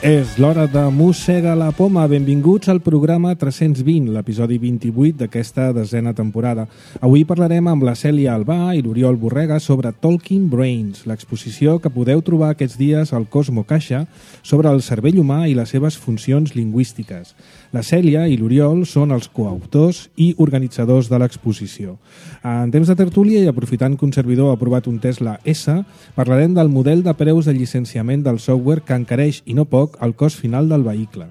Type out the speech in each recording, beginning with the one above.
És l'hora de Mossega la Poma. Benvinguts al programa 320, l'episodi 28 d'aquesta desena temporada. Avui parlarem amb la Cèlia Albà i l'Oriol Borrega sobre Talking Brains, l'exposició que podeu trobar aquests dies al Cosmo Caixa sobre el cervell humà i les seves funcions lingüístiques. La Cèlia i l'Oriol són els coautors i organitzadors de l'exposició. En temps de tertúlia i aprofitant que un servidor ha aprovat un Tesla S, parlarem del model de preus de llicenciament del software que encareix, i no poc, el cost final del vehicle.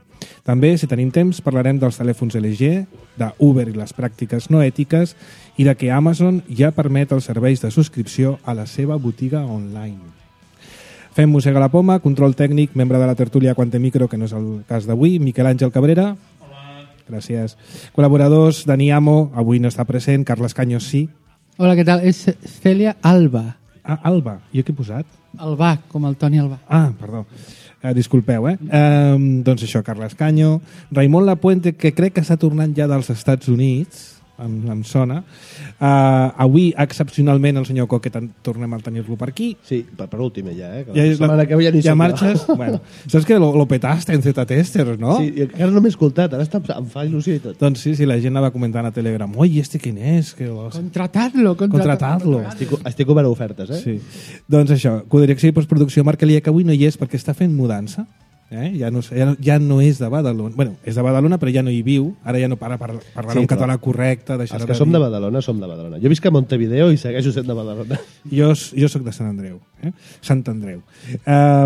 També, si tenim temps, parlarem dels telèfons LG, d'Uber i les pràctiques no ètiques i de que Amazon ja permet els serveis de subscripció a la seva botiga online. Fem Mossega la Poma, control tècnic, membre de la tertúlia Quante Micro, que no és el cas d'avui, Miquel Àngel Cabrera. Hola. Gràcies. Col·laboradors, Dani Amo, avui no està present, Carles Caños sí. Hola, què tal? És Cèlia Alba. Ah, Alba. Jo què he posat? Albà, com el Toni Albà. Ah, perdó. Disculpeu, doncs això, Carles Caño. Raimon Lapuente, que crec que s'ha tornat ja dels Estats Units, em sona. Avui, excepcionalment, el senyor Coquet tornem a tenir-lo per aquí. Sí, per últim ja, Ja, ja marxes? Bueno, saps que lo petaste en Z-Testers, no? Sí, i encara no m'he escoltat, ara em fa il·lusió i tot. Doncs sí, la gent anava comentant a Telegram. Oi, ¿quién és? Contratadlo. Estic obert a ofertes, eh? Sí. Doncs això, codirecció i postproducció Marc Elia, que avui no hi és perquè està fent mudança. Ja no és de Badalona. Bueno, és de Badalona, però ja no hi viu. Ara ja no parlarà un català correcte. Els que som de Badalona, som de Badalona. Jo visc a Montevideo i segueixo sent de Badalona. Jo soc de Sant Andreu. Sant Andreu.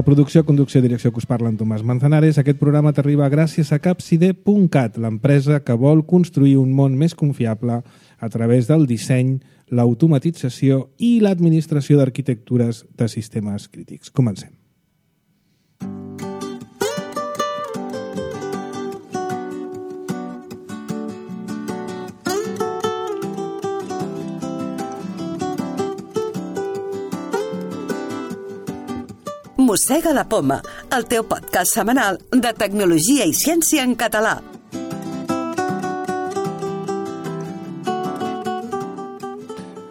Producció, conducció, direcció que us parla en Tomàs Manzanares. Aquest programa t'arriba gràcies a Capside.cat, l'empresa que vol construir un món més confiable a través del disseny, l'automatització i l'administració d'arquitectures de sistemes crítics. Comencem. Mossega la Poma, el teu podcast setmanal de tecnologia i ciència en català.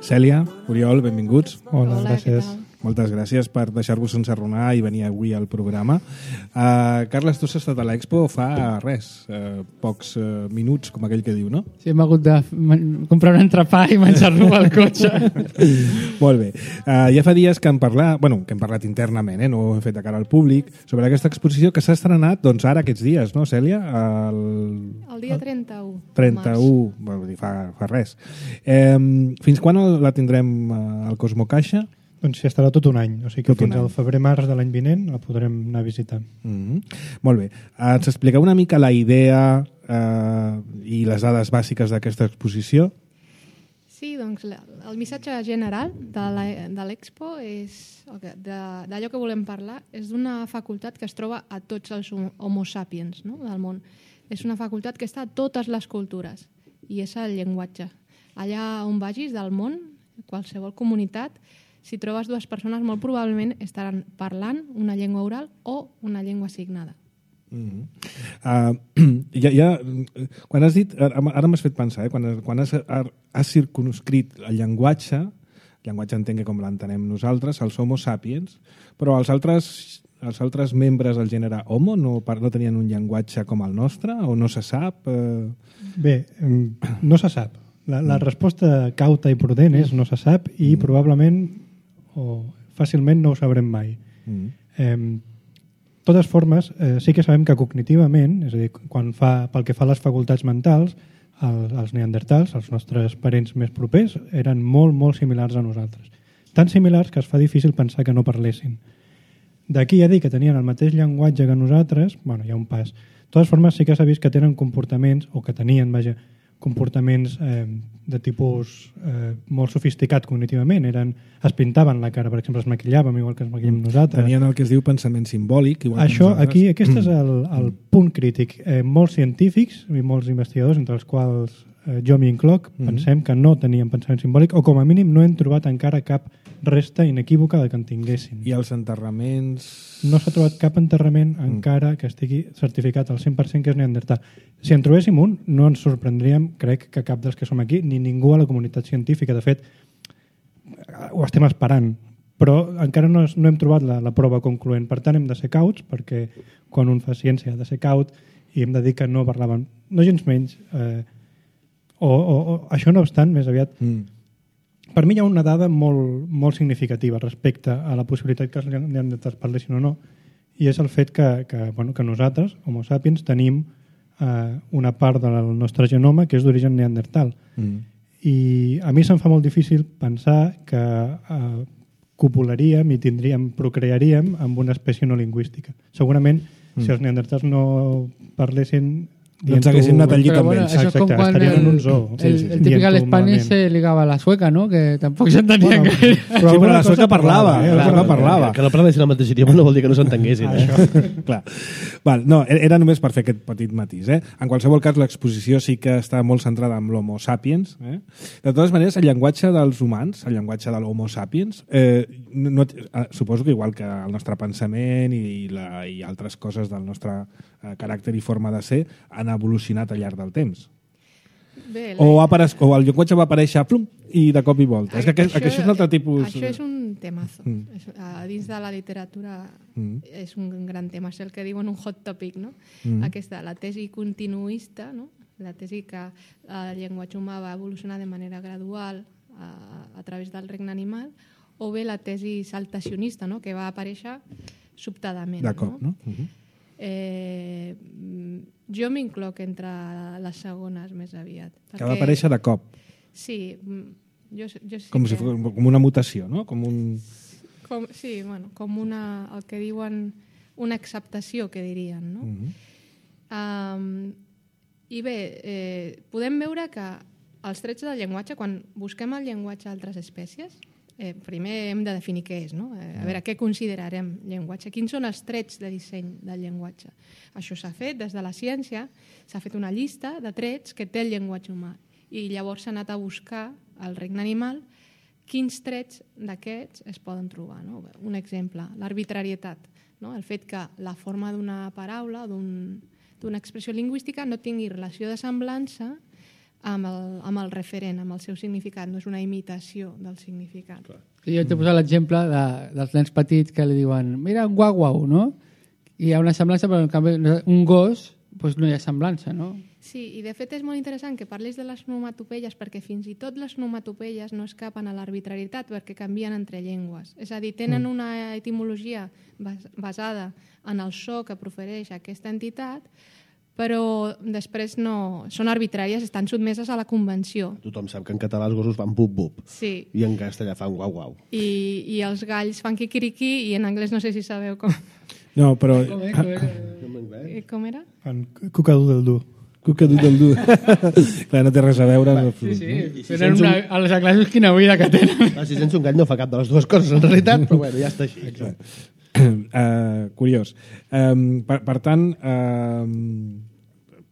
Cèlia, Oriol, benvinguts. Hola, gràcies. Moltes gràcies per deixar-vos encerronar i venir avui al programa. Carles, tu has estat a l'Expo fa res, pocs minuts, com aquell que diu, no? Sí, hem hagut de comprar un entrepà i menjar-lo al cotxe. Molt bé. Ja fa dies que hem parlat internament, no ho hem fet de cara al públic, sobre aquesta exposició que s'ha estrenat doncs, ara aquests dies, no, Cèlia? El dia 31. 31, vull dir, fa res. Fins quan la tindrem al Cosmo Caixa? Doncs sí, estarà tot un any, o sigui que fins al febrer-març de l'any vinent la podrem anar a visitar. Molt bé. Ens expliqueu una mica la idea i les dades bàsiques d'aquesta exposició? Sí, doncs el missatge general de l'Expo és d'allò que volem parlar, és d'una facultat que es troba a tots els homo sapiens, no?, del món. És una facultat que està a totes les cultures i és el llenguatge. Allà on vagis del món, qualsevol comunitat, si trobes dues persones, molt probablement estaran parlant una llengua oral o una llengua signada. Quan has dit, ara m'has fet pensar, quan has circunscrit el llenguatge entenc que com l'entenem nosaltres, els homo sapiens, però els altres membres del gènere homo no tenien un llenguatge com el nostre o no se sap? Bé, no se sap. La resposta cauta i prudent és no se sap i probablement o fàcilment no ho sabrem mai. De totes formes, sí que sabem que cognitivament, és a dir, pel que fa a les facultats mentals, els neandertals, els nostres parents més propers, eren molt, molt similars a nosaltres. Tan similars que es fa difícil pensar que no parlessin. D'aquí a dir que tenien el mateix llenguatge que nosaltres, hi ha un pas. De totes formes, sí que s'ha vist que tenen comportaments, o que tenien, comportaments de tipus molt sofisticat cognitivament. Es pintaven la cara, per exemple, es maquillàvem igual que es maquillem nosaltres. Tenien el que es diu pensament simbòlic. Això, aquest és el punt crític. Molts científics i molts investigadors, entre els quals jo m'incloc, pensem que no tenien pensament simbòlic o com a mínim no hem trobat encara cap resta inequívoca de que en tinguessin. I els enterraments? No s'ha trobat cap enterrament encara que estigui certificat al 100% que és neandertal. Si en trobéssim un, no ens sorprendríem, crec, que cap dels que som aquí, ni ningú a la comunitat científica. De fet, ho estem esperant. però encara no hem trobat la prova concloent. Per tant, hem de ser cauts, perquè quan un fa ciència ha de ser caut, i hem de dir que no parlaven, no gens menys, o això no obstant, més aviat, per mi hi ha una dada molt significativa respecte a la possibilitat que els neandertals parlessin o no, i és el fet que nosaltres, Homo sapiens, tenim una part del nostre genoma que és d'origen neandertal. I a mi se'm fa molt difícil pensar que copularíem i procrearíem amb una espècie no lingüística. Segurament, si els neandertals no parlessin... No ens haguéssim anat al llit amb ells. Això és com quan el típic a l'Espanya se ligava a la sueca, no? Que tampoc s'entenien gaire. Sí, però la sueca parlava. Que no parlessin el mateix idioma no vol dir que no s'entenguessin. Clar. No, era només per fer aquest petit matís. En qualsevol cas, l'exposició sí que està molt centrada en l'Homo sapiens. De totes maneres, el llenguatge dels humans, el llenguatge de l'Homo sapiens, suposo que igual que el nostre pensament i altres coses del nostre caràcter i forma de ser, han evolucionat al llarg del temps. Bé, o el llenguatge va aparèixer plum, i de cop i volta. És que això és un altre tipus... Això és un temazo. Dins de la literatura és un gran tema. És el que diuen un hot topic, no? Aquesta, la tesi continuista, no? La tesi que el llenguatge humà va evolucionar de manera gradual a través del regne animal, o bé la tesi saltacionista, no? Que va aparèixer sobtadament. De cop, no? Jo m'incloc entre les segones més aviat. Que va aparèixer de cop. Sí, jo sí com una mutació, no? Com el que diuen una acceptació, que dirien, no? I bé, podem veure que els trets del llenguatge, quan busquem el llenguatge d'altres espècies, primer hem de definir què és, no? A veure, què considerarem llenguatge? Quins són els trets de disseny del llenguatge? Això s'ha fet des de la ciència, s'ha fet una llista de trets que té el llenguatge humà, i llavors s'ha anat a buscar al regne animal quins trets d'aquests es poden trobar, no? Un exemple, l'arbitrarietat, no? El fet que la forma d'una paraula, d'una expressió lingüística no tingui relació de semblança amb el referent, amb el seu significat, no és una imitació del significat. Jo t'he posat l'exemple dels nens petits que li diuen mira un guau-guau, no? I hi ha una semblança, però en canvi un gos doncs no hi ha semblança, no? Sí, i de fet és molt interessant que parlis de les onomatopeies, perquè fins i tot les onomatopeies no escapen a l'arbitrarietat perquè canvien entre llengües. És a dir, tenen una etimologia basada en el so que profereix aquesta entitat, però després no... Són arbitràries, estan sotmeses a la convenció. Tothom sap que en català els gossos fan bup-bup. Sí. I en castellà fan guau-guau. I els galls fan quiquiriqui, i en anglès no sé si sabeu com... No, però... Com era? Fan cucadoodle-doo. Cucadoodle-doo. Clar, no té res a veure. Sí. Tenen els anglesos quina vida que tenen. Si sents un gall no fa cap de les dues coses, en realitat, però bueno, ja està així. Exacte. Curiós. Per tant,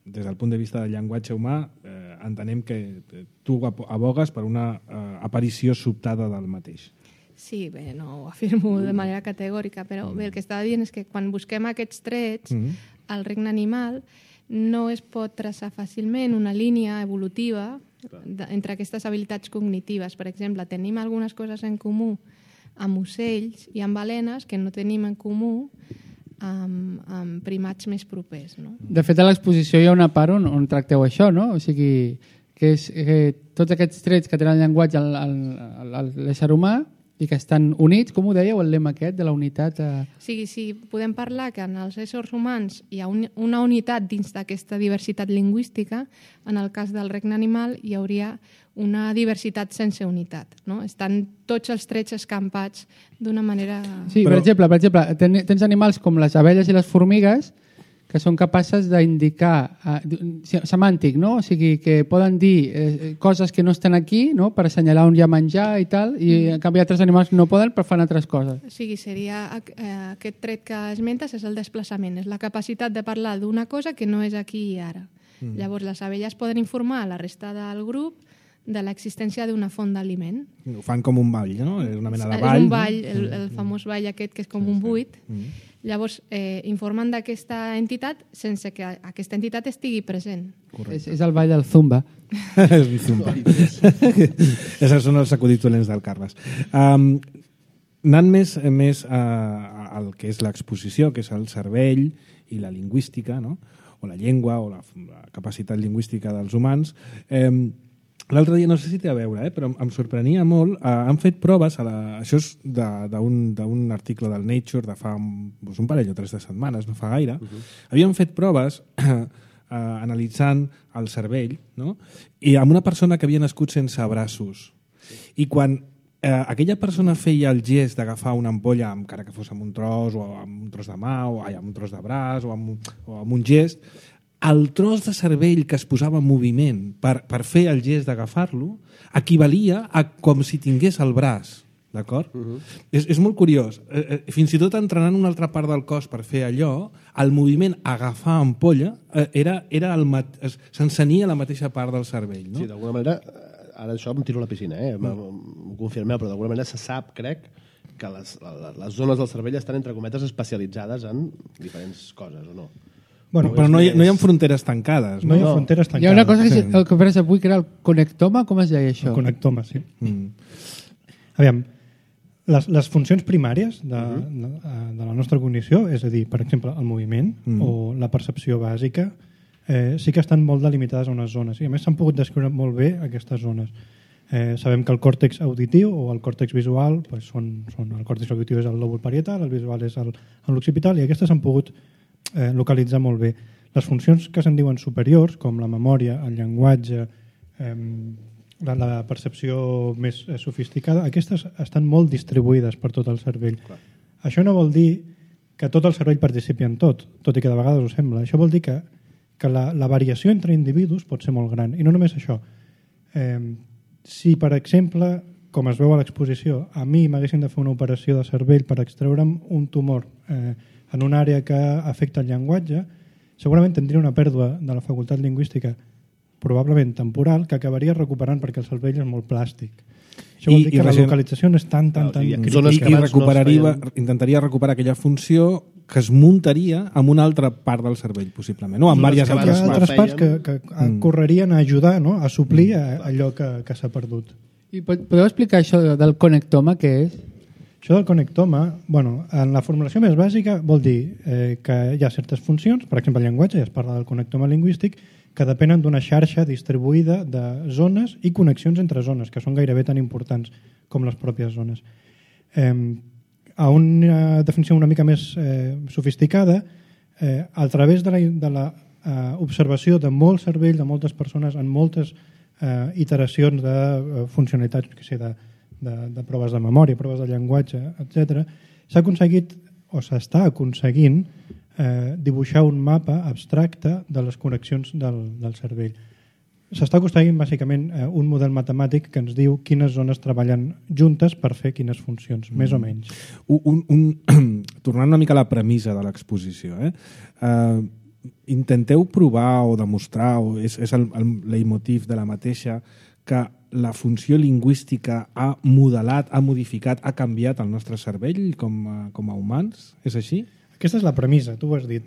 des del punt de vista del llenguatge humà, entenem que tu abogues per una aparició sobtada del mateix. Sí, bé, no ho afirmo de manera categòrica, però bé, el que estava dient és que quan busquem aquests trets al regne animal no es pot traçar fàcilment una línia evolutiva entre aquestes habilitats cognitives. Per exemple, tenim algunes coses en comú amb ocells i amb balenes que no tenim en comú amb primats més propers, no? De fet, a l'exposició hi ha una part on tracteu això, no? O sigui, que tots aquests trets que tenen el llenguatge l'ésser humà i que estan units, com ho dèieu, el lema aquest de la unitat... Sí, podem parlar que en els éssers humans hi ha una unitat dins d'aquesta diversitat lingüística. En el cas del regne animal hi hauria una diversitat sense unitat, no? Estan tots els trets escampats d'una manera... Sí, per exemple, tens animals com les abelles i les formigues que són capaces d'indicar semàntic, no? O sigui, que poden dir coses que no estan aquí, no? Per assenyalar on hi ha menjar i tal, i en canvi altres animals no poden però fan altres coses. O sigui, seria aquest tret que esmentes és el desplaçament, és la capacitat de parlar d'una cosa que no és aquí i ara. Llavors, les abelles poden informar a la resta del grup de l'existència d'una font d'aliment. Ho fan com un ball, no? És una mena de ball. És un ball, el famós ball aquest que és com un buit. Llavors, informen d'aquesta entitat sense que aquesta entitat estigui present. És el ball del Zumba. És un Zumba. Essos són els acudits dolents del Carles. Anant més al que és l'exposició, que és el cervell i la lingüística, no? O la llengua o la capacitat lingüística dels humans. L'altre dia, no sé si té a veure, però em sorprenia molt, han fet proves, això és d'un article del Nature de fa un parell o 3 de setmanes, no fa gaire, havien fet proves analitzant el cervell, no? I amb una persona que havia nascut sense braços. I quan aquella persona feia el gest d'agafar una ampolla, encara que fos amb un tros, o amb un tros de mà, o amb un tros de braç, o amb un gest, el tros de cervell que es posava en moviment per fer el gest d'agafar-lo equivalia a com si tingués el braç. D'acord? És molt curiós. Fins i tot entrenant una altra part del cos per fer allò, el moviment agafar ampolla s'encenia la mateixa part del cervell. No? Sí, d'alguna manera, ara això em tiro a la piscina, m'ho confirmeu, però d'alguna manera se sap, crec, que les zones del cervell estan, entre cometes, especialitzades en diferents coses, o no? Bueno, però no hi ha fronteres tancades. No hi ha fronteres tancades. Hi ha una cosa que el que faràs avui, que era el connectoma, com es deia això? El connectoma, sí. Aviam, les funcions primàries de la nostra cognició, és a dir, per exemple, el moviment o la percepció bàsica, sí que estan molt delimitades a unes zones. I a més s'han pogut descriure molt bé aquestes zones. Sabem que el còrtex auditiu o el còrtex visual, el còrtex auditiu és el lòbul parietal, el visual és l'occipital, i aquestes s'han pogut localitzar molt bé. Les funcions que se'n diuen superiors, com la memòria, el llenguatge, la percepció més sofisticada, aquestes estan molt distribuïdes per tot el cervell. Clar. Això no vol dir que tot el cervell participi en tot i que de vegades ho sembla. Això vol dir que la variació entre individus pot ser molt gran. I no només això. Si, per exemple, com es veu a l'exposició, a mi m'haguessin de fer una operació de cervell per extreure'm un tumor en una àrea que afecta el llenguatge, segurament tindria una pèrdua de la facultat lingüística probablement temporal, que acabaria recuperant perquè el cervell és molt plàstic. Això vol dir que la localització no és tan intentaria recuperar aquella funció que es muntaria amb una altra part del cervell, possiblement, o amb diverses altres parts que correrien a ajudar, no? A suplir allò que s'ha perdut. I podeu explicar això del connectoma, què és? Això del connectoma, en la formulació més bàsica vol dir que hi ha certes funcions, per exemple el llenguatge, ja es parla del connectoma lingüístic, que depenen d'una xarxa distribuïda de zones i connexions entre zones, que són gairebé tan importants com les pròpies zones. A una definició una mica més sofisticada, a través de l'observació de molt cervell, de moltes persones, en moltes iteracions de funcionalitats, de proves de memòria, proves de llenguatge, etc., s'ha aconseguit, o s'està aconseguint, dibuixar un mapa abstracte de les connexions del cervell. S'està aconseguint bàsicament un model matemàtic que ens diu quines zones treballen juntes per fer quines funcions, més o menys. Tornant una mica a la premissa de l'exposició, intenteu provar o demostrar, o és el leitmotiv de la mateixa, que la funció lingüística ha modelat, ha modificat, ha canviat el nostre cervell com a humans? És així? Aquesta és la premissa, tu ho has dit.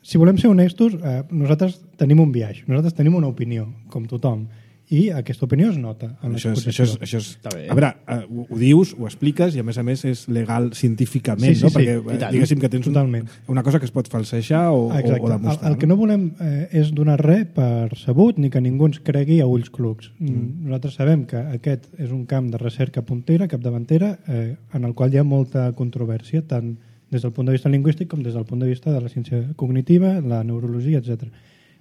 Si volem ser honestos, nosaltres tenim un biaix, nosaltres tenim una opinió, com tothom, i aquesta opinió es nota en l'exposició. Això és... A veure, ho dius, ho expliques, i a més és legal científicament, no? Perquè diguéssim que tens una cosa que es pot falsejar o demostrar. El que no volem és donar res per sabut ni que ningú ens cregui a ulls clucs. Nosaltres sabem que aquest és un camp de recerca puntera, capdavantera, en el qual hi ha molta controvèrsia, tant des del punt de vista lingüístic com des del punt de vista de la ciència cognitiva, la neurologia, etc.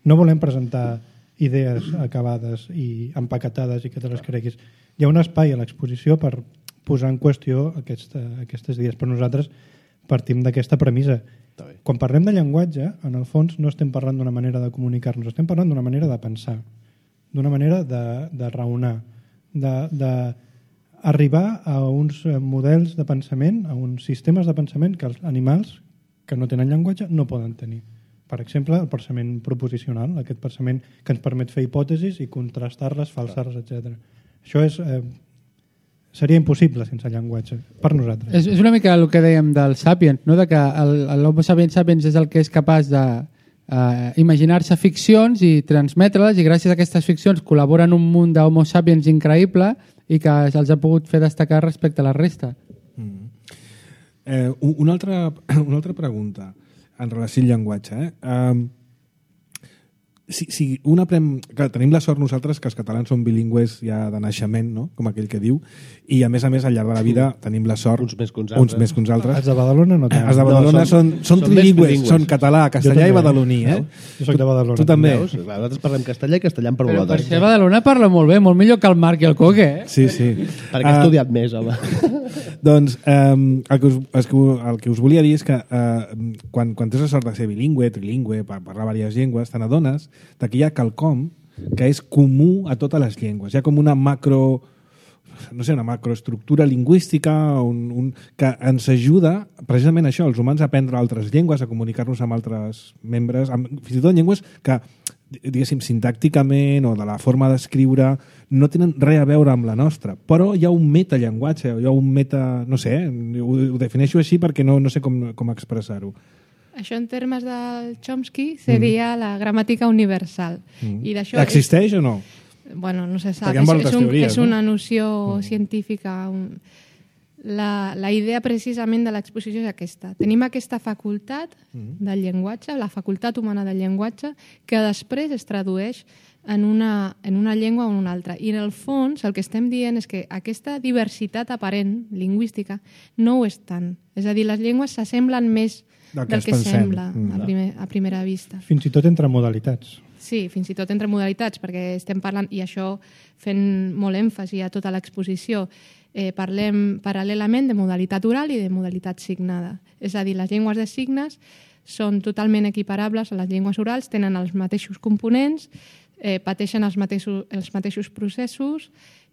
No volem presentar idees acabades i empaquetades i que te les creguis. Hi ha un espai a l'exposició per posar en qüestió aquestes idees, però nosaltres partim d'aquesta premissa. Quan parlem de llenguatge, en el fons no estem parlant d'una manera de comunicar-nos, estem parlant d'una manera de pensar, d'una manera de raonar, d'arribar a uns models de pensament, a uns sistemes de pensament que els animals que no tenen llenguatge no poden tenir. Per exemple, el pensament proposicional, aquest pensament que ens permet fer hipòtesis i contrastar-les, falsar-les, etc. Això seria impossible sense llenguatge, per nosaltres. És una mica el que dèiem del Sapiens, no? De que l'Homo sapiens sapiens és el que és capaç de imaginar-se ficcions i transmetre-les, i gràcies a aquestes ficcions col·laboren un munt d'Homo sapiens increïble, i que els ha pogut fer destacar respecte a la resta. Una altra pregunta en relació al llenguatge. Si un aprèn... Clar, tenim la sort nosaltres que els catalans són bilingües ja de naixement, no? Com aquell que diu, i a més, al llarg de la vida tenim la sort... Uns més que uns altres. Els de Badalona no tant. Els de Badalona són trilingües, són català, castellà i badaloní, Jo soc de Badalona. Tu també. Veus? Clar, nosaltres parlem castellà i castellà per Però per vosaltres. ser Badalona parla molt bé, molt millor que el Marc i el Coque, Sí. Perquè he estudiat més, home. Doncs el que us volia dir és que quan tens la sort de ser bilingüe, trilingüe, parlar diverses llengües, te n'adones que hi ha quelcom que és comú a totes les llengües. Hi ha com una una macroestructura lingüística que ens ajuda precisament això, els humans a aprendre altres llengües, a comunicar-nos amb altres membres, fins i tot llengües que, diguéssim, sintàcticament o de la forma d'escriure no tenen res a veure amb la nostra, però hi ha un metallenguatge, hi ha un meta... no sé, ho defineixo així perquè no sé com expressar-ho. Això en termes del Chomsky seria la gramàtica universal. I d'això Existeix o no? Bueno, no se sap. Perquè hi ha moltes teories, és una noció científica. La idea precisament de l'exposició és aquesta. Tenim aquesta facultat del llenguatge, la facultat humana del llenguatge, que després es tradueix en una llengua o en una altra. I en el fons el que estem dient és que aquesta diversitat aparent lingüística no ho és tant. És a dir, les llengües s'assemblen més del que sembla a primera vista. Fins i tot entre modalitats. Sí, fins i tot entre modalitats, perquè estem parlant, i això fent molt èmfasi a tota l'exposició, parlem paral·lelament de modalitat oral i de modalitat signada. És a dir, les llengües de signes són totalment equiparables a les llengües orals, tenen els mateixos components, pateixen els mateixos processos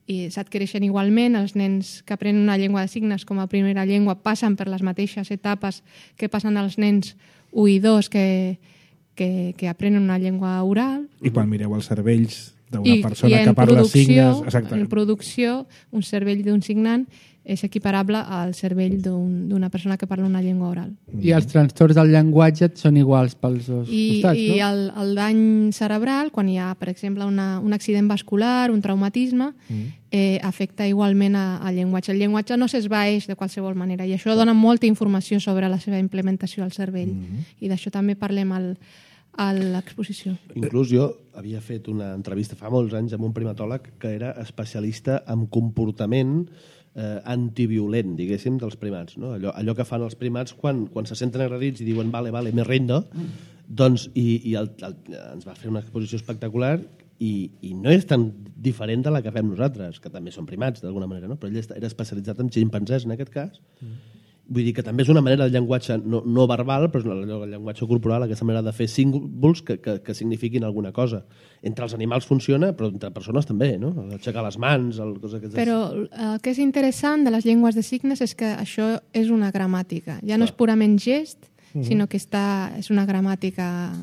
i s'adquireixen igualment. Els nens que aprenen una llengua de signes com a primera llengua passen per les mateixes etapes que passen els nens 1 i 2 que aprenen una llengua oral. I quan mireu els cervells d'una persona que parla signes... En producció, un cervell d'un signant és equiparable al cervell d'una persona que parla una llengua oral. I els trastorns del llenguatge són iguals pels dos costats, no? I el dany cerebral, quan hi ha, per exemple, un accident vascular, un traumatisme, afecta igualment al llenguatge. El llenguatge no s'esvaeix de qualsevol manera i això dona molta informació sobre la seva implementació al cervell. I d'això també parlem a l'exposició. Inclús jo havia fet una entrevista fa molts anys amb un primatòleg que era especialista en comportament antiviolent, diguéssim, dels primats. No? Allò que fan els primats quan se senten agredits i diuen vale, me rindo, doncs, i ens va fer una exposició espectacular i no és tan diferent de la que fem nosaltres, que també són primats d'alguna manera, no? Però ell era especialitzat en ximpanzés en aquest cas. Vull dir que també és una manera del llenguatge no verbal, però és el llenguatge corporal, aquesta manera de fer símbols que signifiquin alguna cosa. Entre els animals funciona, però entre persones també, no? Aixecar les mans... Però el que és interessant de les llengües de signes és que això és una gramàtica. Ja no és purament gest, sinó que és una gramàtica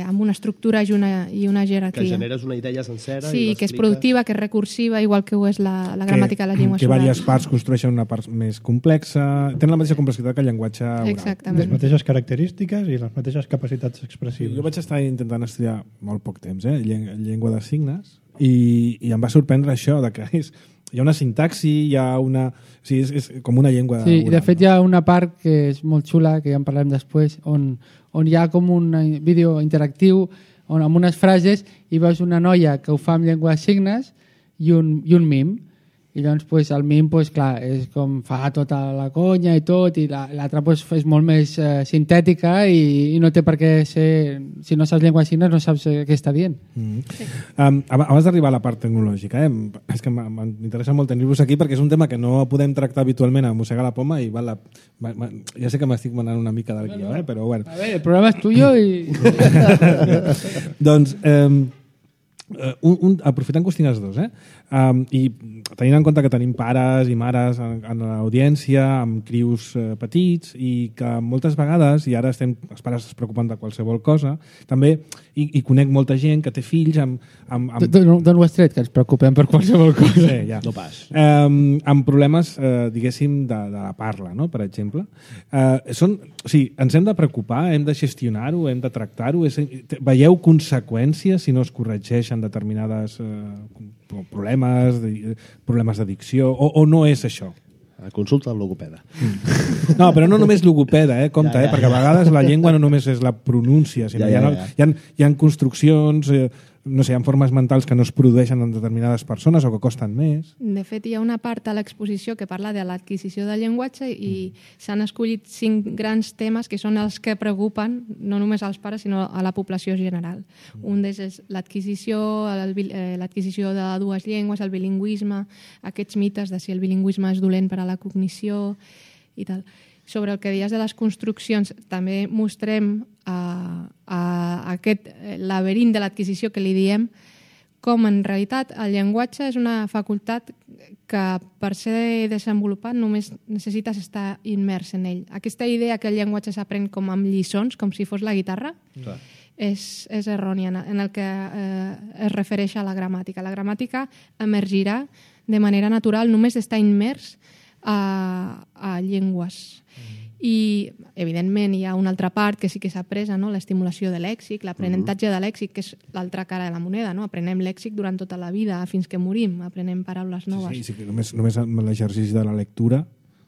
amb una estructura i una jerarquia. Que generes una idea sencera. Sí, que és productiva, que és recursiva, igual que ho és la gramàtica de les llengües orals. Que orals. diverses parts construeixen una part més complexa. Tenen la mateixa complexitat que el llenguatge oral. Exactament. Les mateixes característiques i les mateixes capacitats expressives. Jo vaig estar intentant estudiar molt poc temps, llengua de signes, i em va sorprendre això, de que hi ha una sintaxi, hi ha una... O sigui, és com una llengua Sí, oral. de fet hi ha una part que és molt xula, que ja en parlarem després, on hi ha com un vídeo interactiu amb unes frases i veus una noia que ho fa amb llengua de signes i un mim. I llavors el mim, clar, és com fa tota la conya i tot, i l'altra és molt més sintètica i no té per què ser... Si no saps llengua de signes no saps què està dient. Sí. Abans d'arribar a la part tecnològica, és que m'interessa molt tenir-vos aquí perquè és un tema que no podem tractar habitualment a Mossegar la Poma i ja sé que m'estic manant una mica del guió, però bueno. A veure, el programa és tuyo i... Doncs... aprofitant que us tinc els dos, i tenint en compte que tenim pares i mares en l'audiència, amb crius petits, i que moltes vegades, i ara els pares es preocupen de qualsevol cosa, també i conec molta gent que té fills D'on ho has tret, que ens preocupem per qualsevol cosa? Sí, ja. No pas. Amb problemes, diguéssim, de la parla, no? Per exemple. Ens hem de preocupar, hem de gestionar-ho, hem de tractar-ho. Veieu conseqüències si no es corregeixen produeixen determinades problemes d'addicció, o no és això? Consulta el logopeda. No, però no només logopeda, compte, perquè a vegades la llengua no només és la pronúncia, sinó hi ha construccions, no sé, hi ha formes mentals que no es produeixen en determinades persones o que costen més. De fet, hi ha una part a l'exposició que parla de l'adquisició del llenguatge i s'han escollit 5 grans temes que són els que preocupen no només als pares, sinó a la població general. Un d'ells és l'adquisició de 2 llengües, el bilingüisme, aquests mites de si el bilingüisme és dolent per a la cognició i tal. Sobre el que deies de les construccions, també mostrem aquest laberint de l'adquisició que li diem, com en realitat el llenguatge és una facultat que per ser desenvolupat només necessites estar immers en ell. Aquesta idea que el llenguatge s'aprèn com amb lliçons, com si fos la guitarra, és errònia en el que es refereix a la gramàtica. La gramàtica emergirà de manera natural només d'estar immers a llengües. I, evidentment, hi ha una altra part que sí que s'ha après, no? L'estimulació de lèxic, l'aprenentatge de lèxic, que és l'altra cara de la moneda. No? Aprenem lèxic durant tota la vida, fins que morim, aprenem paraules noves. Sí, només amb l'exercici de la lectura,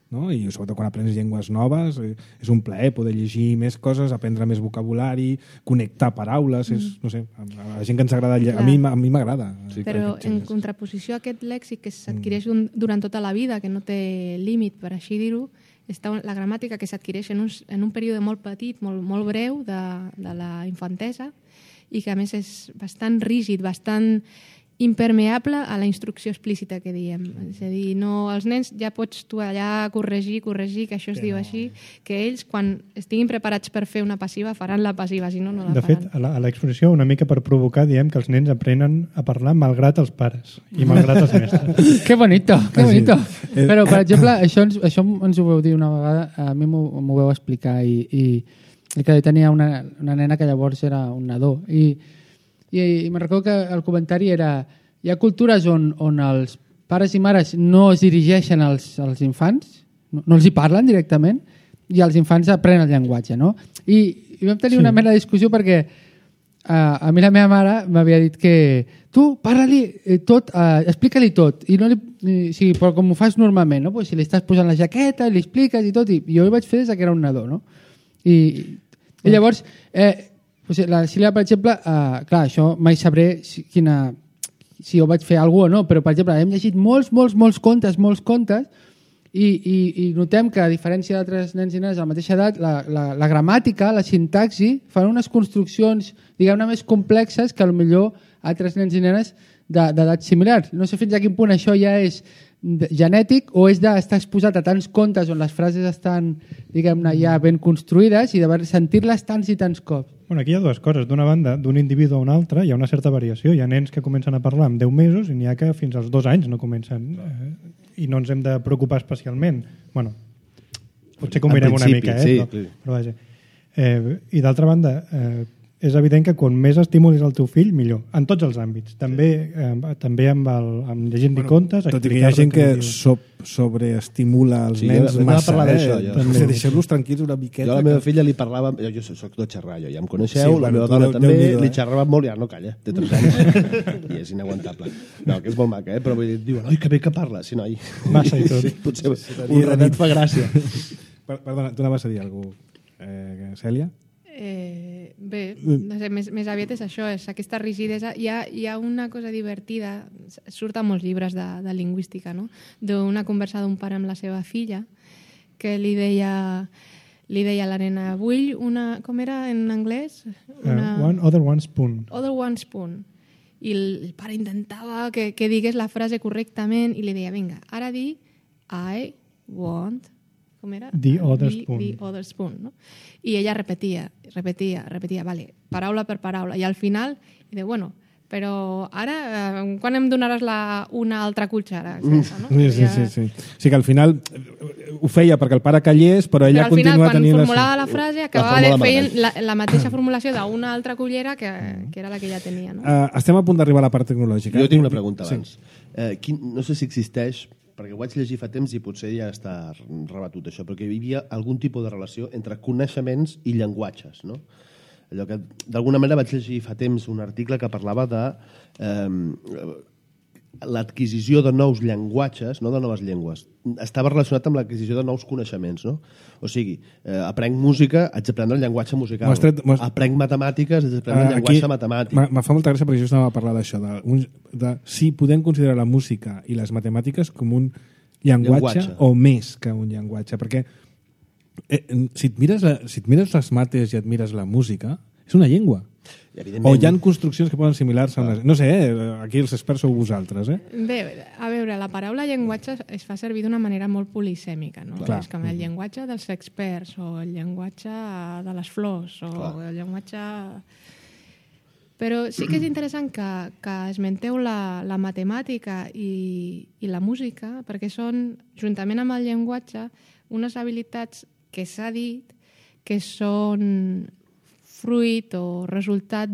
no? I sobretot quan aprens llengües noves, és un plaer poder llegir més coses, aprendre més vocabulari, connectar paraules, no sé, a la gent que ens agrada, a mi m'agrada. Però en contraposició a aquest lèxic que s'adquireix durant tota la vida, que no té límit, per així dir-ho, està la gramàtica que s'adquireix en un període molt petit, molt breu de la infantesa i que a més és bastant rígid, bastant impermeable a la instrucció explícita que diem. És a dir, no, els nens ja pots tu allà corregir, que això es diu així, que ells quan estiguin preparats per fer una passiva faran la passiva, si no, no la faran. De fet, a l'exposició, una mica per provocar, diem que els nens aprenen a parlar malgrat els pares i malgrat els mestres. Que bonito, que bonito. Però, per exemple, això ens ho vau dir una vegada, a mi m'ho vau explicar i que tenia una nena que llavors era un nadó i me'n recordo que el comentari era hi ha cultures on els pares i mares no es dirigeixen als infants, no els hi parlen directament i els infants aprenen el llenguatge, no? I vam tenir una mena de discussió perquè a mi la meva mare m'havia dit que tu parla-li tot, explica-li tot i no però com ho fas normalment, no? Pues si li estàs posant la jaqueta li expliques i tot, i jo ho vaig fer des que era un nadó, no? I llavors la Sílvia, per exemple, clar, això mai sabré si ho vaig fer alguna cosa o no, però, per exemple, hem llegit molts contes i notem que, a diferència d'altres nens i nenes a la mateixa edat, la gramàtica, la sintaxi, fan unes construccions, diguem-ne, més complexes que, potser, altres nens i nenes d'edats similars. No sé fins a quin punt això ja és genètic o és d'estar exposat a tants contes on les frases estan, diguem-ne, ja ben construïdes i de sentir-les tants i tants cops. Bueno, aquí hi ha dues coses. D'una banda, d'un individu a un altre hi ha una certa variació. Hi ha nens que comencen a parlar amb 10 mesos i n'hi ha que fins als 2 anys no comencen. I no ens hem de preocupar especialment. Bueno, potser que ho mirem una mica, sí. Però vaja. I d'altra banda, és evident que quan més estimulis el teu fill, millor. En tots els àmbits. També amb llegint-li contes... Tot i que hi ha gent que sobreestimula els nens massa. Deixeu-los tranquils una miqueta. Jo a la meva filla li parlava... Jo soc de xerrar, ja em coneixeu, la meva dona també, li xerrava molt i ara no calla, té 3 anys i és inaguantable. No, que és molt maca, però diuen, oi, que bé que parla, sí, noi. Massa i tot. Potser un ratet fa gràcia. Perdona, tu anaves a dir alguna cosa, Cèlia? Bé, no sé, més aviat és això, és aquesta rigidesa. Hi ha una cosa divertida, surt a molts llibres de lingüística, no? D'una conversa d'un pare amb la seva filla que li deia a la nena, vull una... Com era en anglès? One spoon. Other one spoon. I el pare intentava que digués la frase correctament i li deia, vinga, ara di I want... Com era? The other spoon. The other spoon, no? I ella repetia, vale, paraula per paraula. I al final, diu, bueno, però ara, quan em donaràs una altra cuchara? No? Sí. O sigui que al final ho feia perquè el pare callés, però ella continua tenint... Quan formulava la frase, acabava fent la mateixa formulació d'una altra cullera que era la que ella tenia. No? Estem a punt d'arribar a la part tecnològica. Jo tinc una pregunta abans. No sé si existeix, perquè ho vaig llegir fa temps i potser ja està rebatut això, perquè hi havia algun tipus de relació entre coneixements i llenguatges, no? Allò que, d'alguna manera, vaig llegir fa temps un article que parlava de l'adquisició de nous llenguatges, no de noves llengües. Estava relacionat amb l'adquisició de nous coneixements, no? O sigui, aprenc música, haig d'aprendre el llenguatge musical. Aprenc matemàtiques, haig d'aprendre el llenguatge matemàtic. Me fa molta gràcia perquè just anava a parlar d'això, de si podem considerar la música i les matemàtiques com un llenguatge o més que un llenguatge, perquè si et mires les mates i et mires la música, és una llengua. O hi ha construccions que poden assimilar-se. No sé, aquí els experts sou vosaltres. Bé, a veure, la paraula llenguatge es fa servir d'una manera molt polisèmica, no? Clar. És com el llenguatge dels experts, o el llenguatge de les flors, o el llenguatge... Però sí que és interessant que esmenteu la matemàtica i la música, perquè són, juntament amb el llenguatge, unes habilitats que s'ha dit que són fruit o resultat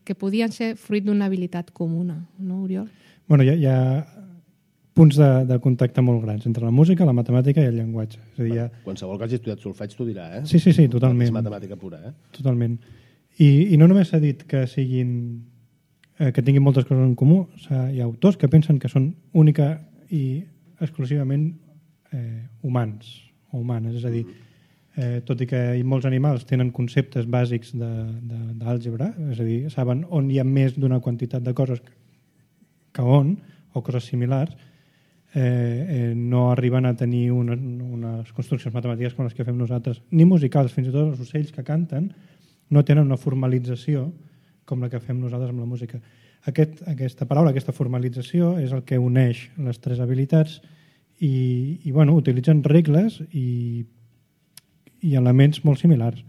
que podien ser fruit d'una habilitat comuna, no, Oriol? Bueno, hi ha punts de contacte molt grans entre la música, la matemàtica i el llenguatge. És a dir, qualsevol que hagi estudiat solfeig t'ho dirà, eh? Sí, totalment. És matemàtica pura, eh? Totalment. I no només s'ha dit que que tinguin moltes coses en comú, hi ha autors que pensen que són única i exclusivament humans o humanes, és a dir, tot i que molts animals tenen conceptes bàsics d'àlgebra, és a dir, saben on hi ha més d'una quantitat de coses que on, o coses similars, no arriben a tenir unes construccions matemàtiques com les que fem nosaltres, ni musicals, fins i tot els ocells que canten no tenen una formalització com la que fem nosaltres amb la música. Aquesta paraula, aquesta formalització, és el que uneix les tres habilitats i bueno, utilitzen regles i elements molt similars.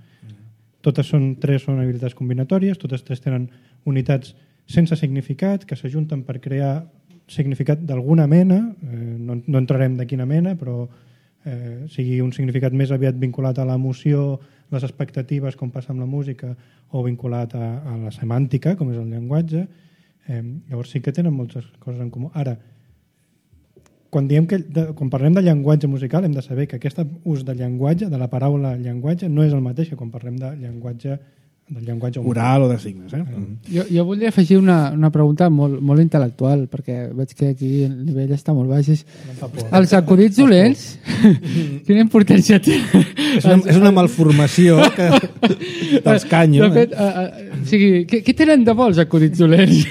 Totes són habilitats combinatòries, totes tres tenen unitats sense significat, que s'ajunten per crear significat d'alguna mena, no entrarem de quina mena, però sigui un significat més aviat vinculat a l'emoció, les expectatives, com passa amb la música, o vinculat a la semàntica, com és el llenguatge. Llavors sí que tenen moltes coses en comú. Ara, quan parlem de llenguatge musical hem de saber que aquest ús de llenguatge, de la paraula llenguatge, no és el mateix que quan parlem de llenguatge oral o de signes. Jo voldria afegir una pregunta molt intel·lectual, perquè veig que aquí el nivell està molt baix. Els acudits dolents, quina importància té? És una malformació dels canyo. De fet, què tenen de bo els acudits dolents?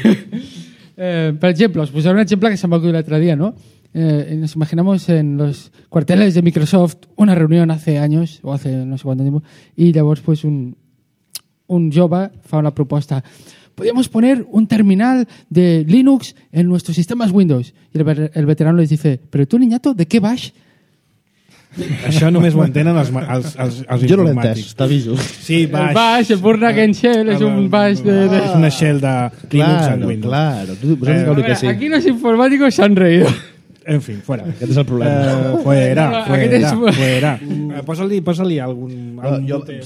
Per ejemplo, os posaré un ejemplo que se me ocurrió el otro día, ¿no? Nos imaginamos en los cuarteles de Microsoft una reunión hace años, o hace no sé cuánto tiempo, y llavors pues un jove fa una proposta. Podríamos poner un terminal de Linux en nuestros sistemas Windows. Y el veterano les dice, pero tú, niñato, ¿de qué vas? Això només ho entenen els informàtics. Jo no l'he entès, t'aviso. Sí, baix. El baix, el Burnagen Shell, és un baix de... És una shell de Linux en Windows. Claro. Aquí los informáticos se han reído. En fin, fuera. Aquest és el problema. Fuera. Posa-li algun mute.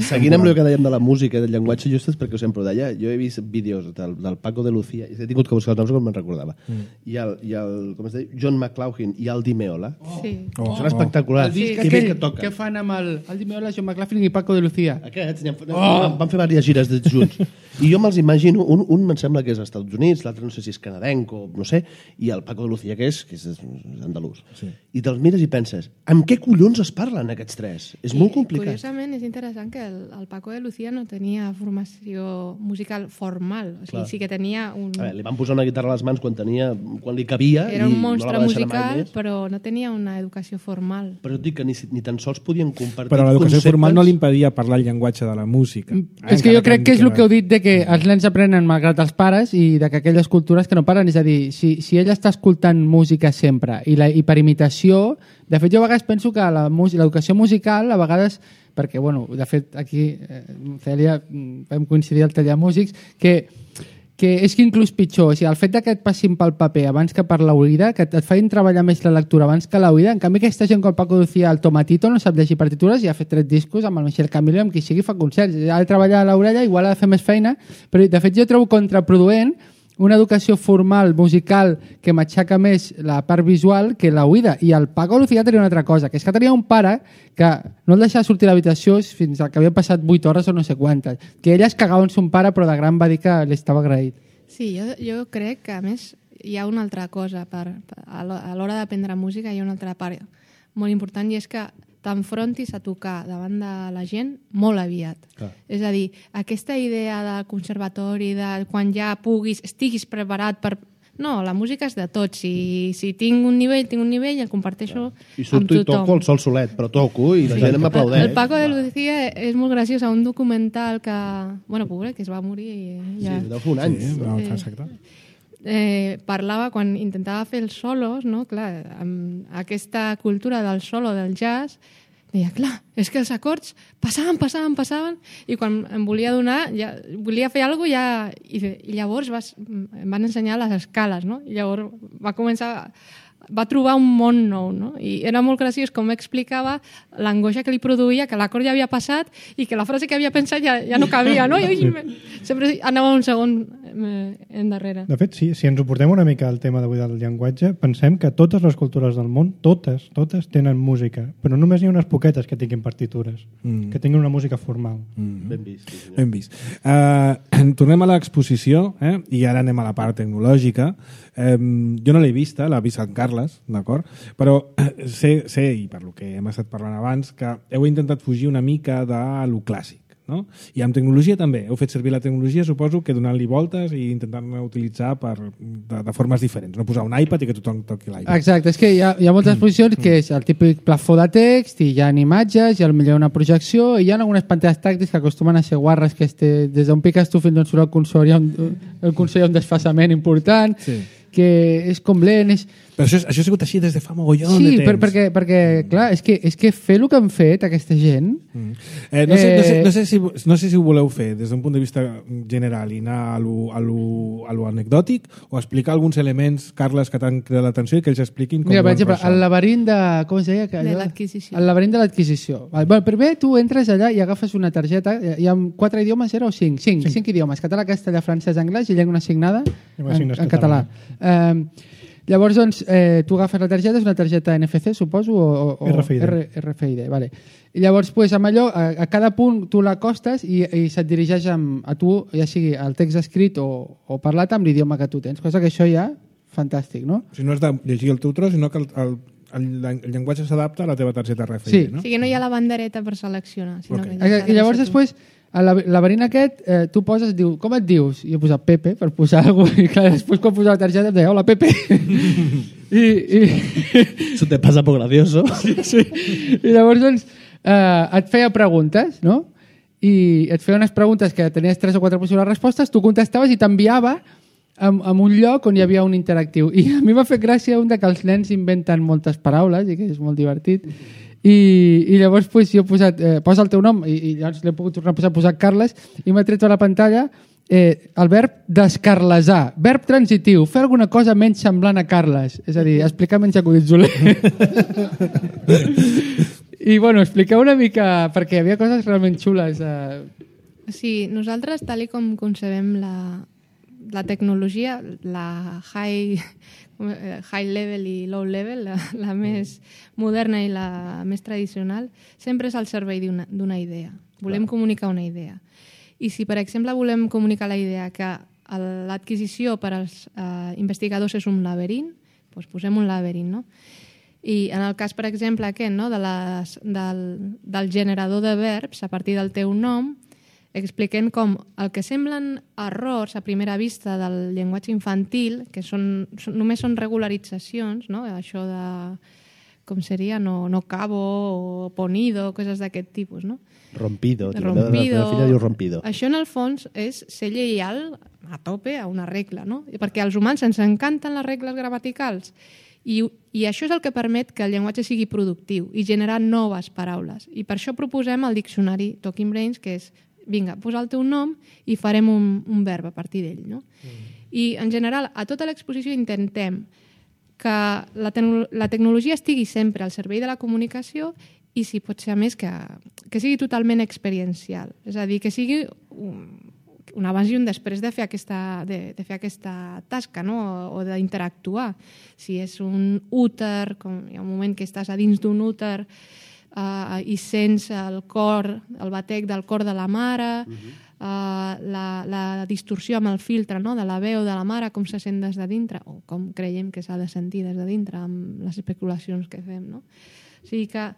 Seguint amb el que dèiem de la música i del llenguatge, just és perquè ho sempre ho deia, jo he vist vídeos del Paco de Lucía, i he tingut que buscar els noms com me'n recordava. I el com es deia, John McLaughlin i el Di Meola. Són espectaculars. Que bé que toquen. Què fan amb el Di Meola, John McLaughlin i Paco de Lucía? Aquests van fer diverses gires junts. I jo me'ls imagino, un em sembla que és als Estats Units, l'altre no sé si és canadenc o no sé, i el Paco de Lucía que és andalús. Sí. I te'ls mires i penses, amb què collons es parlen aquests tres? És molt complicat. Curiosament, és interessant que el Paco de Lucía no tenia formació musical formal. O sigui, sí que tenia un... li van posar una guitarra a les mans quan li cabia. Era un monstre musical, però no tenia una educació formal. Però et dic que ni tan sols podien compartir però l'educació formal no li impedia parlar el llenguatge de la música. És que jo crec que és el que heu dit de que els nens aprenen malgrat els pares i de que aquelles cultures que no paren, és a dir, si ell està escoltant música sempre i per imitació, de fet jo a vegades penso que l'educació musical a vegades, perquè bueno, de fet aquí Cèlia vam coincidir al taller de músics, que és que inclús pitjor, o sigui, el fet que et passin pel paper abans que per l'oïda, que et feien treballar més la lectura abans que l'oïda, en canvi aquesta gent com el Paco Lucía, el Tomatito, no sap llegir partitures i ha fet 3 discos amb el Michel Camilo, amb qui sigui fa concerts, ha de treballar a l'orella, igual ha de fer més feina, però de fet jo trobo contraproduent una educació formal, musical, que matxaca més la part visual que la oïda. I el Paco Lucía tenia una altra cosa, que és que tenia un pare que no el deixava sortir a l'habitació fins que havia passat 8 hores o no sé quantes. Que ella es cagava en son pare, però de gran va dir que li estava agraït. Sí, jo crec que, a més, hi ha una altra cosa. A l'hora d'aprendre música hi ha una altra part molt important, i és que t'enfrontis a tocar davant de la gent molt aviat. Clar. És a dir, aquesta idea del conservatori, de quan ja estiguis preparat per... No, la música és de tots. Si tinc un nivell, el comparteixo amb tothom. I surto i toco el sol solet, però toco i la gent m'aplaudeix. El Paco de Lucía és molt graciós, a un documental que... Bueno, pobre, que es va morir ja... Sí, deu fer un any. Exacte. Parlava quan intentava fer els solos, no? Clar, amb aquesta cultura del solo, del jazz, deia, clar, és que els acords passaven, i quan em volia donar, volia fer alguna cosa, i llavors em van ensenyar les escales, no? I llavors va trobar un món nou, no? I era molt graciós com explicava l'angoixa que li produïa, que l'acord ja havia passat i que la frase que havia pensat ja no cabia, no? I sempre anava un segon endarrere. De fet, si ens ho portem una mica al tema d'avui del llenguatge, pensem que totes les cultures del món, totes tenen música, però només hi ha unes poquetes que tinguin partitures, que tinguin una música formal. Ben vist. Sí, ben vist. Tornem a l'exposició, i ara anem a la part tecnològica. Jo no l'he vista, l'ha vist en Carles, d'acord? Però sé, i per lo que hem estat parlant abans, que heu intentat fugir una mica de lo clàssic, no? I amb tecnologia també. Heu fet servir la tecnologia, suposo, que donant-li voltes i intentant-la utilitzar de formes diferents. No posar un iPad i que tothom toqui l'iPad. Exacte, és que hi ha moltes exposicions que és el típic plafó de text, i hi ha imatges, i potser una projecció, i hi ha algunes pantalles tàctiles que acostumen a ser guarres, que des d'on piques tu fins on surt el consol hi ha un desfasament important, que és com lent... Però això ha sigut així des de fa mogollon de temps. Sí, perquè clar, és que fer el que han fet aquesta gent... No sé si ho voleu fer des d'un punt de vista general i anar a lo anecdòtic o explicar alguns elements, Carles, que t'han cridat l'atenció i que ells expliquin com... Mira, per exemple, el laberint de... Com es deia? De l'adquisició. El laberint de l'adquisició. Primer tu entres allà i agafes una targeta, hi ha 4 idiomes, era o 5? 5 idiomes, català, castellà, francès, anglès i llengua assignada en català. Llavors, doncs, tu agafes la targeta, és una targeta NFC, suposo, o RFID, vale. I llavors, pues, amb allò, a cada punt tu l'acostes i se't dirigeix a tu, ja sigui el text escrit o parlat amb l'idioma que tu tens, cosa que això ja, fantàstic, no? O sigui, no has de llegir el teu tros, sinó que el llenguatge s'adapta a la teva targeta RFID, no? O sigui, no hi ha la bandereta per seleccionar. I llavors, després, al laberint aquest, tu poses, diu, com et dius? I he posat Pepe, per posar alguna cosa, i clar, després quan posava la targeta em deia, hola, Pepe. Eso te pasa por gracioso. Sí. I llavors, doncs, et feia preguntes, no? I et feia unes preguntes que tenies 3 o 4 possibles respostes, tu contestaves i t'enviava en un lloc on hi havia un interactiu. I a mi m'ha fet gràcia un que els nens inventen moltes paraules i que és molt divertit. I llavors pues, jo he posat posa el teu nom i llavors l'he pogut tornar a posar Carles i m'ha tret a la pantalla el verb descarlesar, verb transitiu, fer alguna cosa menys semblant a Carles, és a dir, explicar menys acudits dolents. I bueno, expliqueu una mica perquè hi havia coses realment xules. Sí, nosaltres, tal com concebem la tecnologia, la high level i low level, la més moderna i la més tradicional, sempre és al servei d'una idea. Volem comunicar una idea. I si, per exemple, volem comunicar la idea que l'adquisició per als investigadors és un laberint, doncs posem un laberint, no? I en el cas, per exemple, aquest, no? del generador de verbs a partir del teu nom, expliquem com el que semblen errors a primera vista del llenguatge infantil, que només són regularitzacions, no? Això de, com seria, no cabo o ponido, coses d'aquest tipus, no? Rompido. La filla diu rompido. Això, en el fons, és ser lleial a tope a una regla, no? Perquè als humans ens encanten les regles gramaticals i això és el que permet que el llenguatge sigui productiu i generar noves paraules. I per això proposem el diccionari Talking Brains, que és vinga, posa el teu nom i farem un verb a partir d'ell, no? I, en general, a tota l'exposició intentem que la tecnologia estigui sempre al servei de la comunicació i, si pot ser a més, que sigui totalment experiencial. És a dir, que sigui un abans i un després de fer aquesta tasca, no? O d'interactuar. Si és un úter, hi ha un moment que estàs a dins d'un úter i sents el batec del cor de la mare, la distorsió amb el filtre, no? De la veu de la mare, com se sent des de dintre, o com creiem que s'ha de sentir des de dintre amb les especulacions que fem, no? O sigui que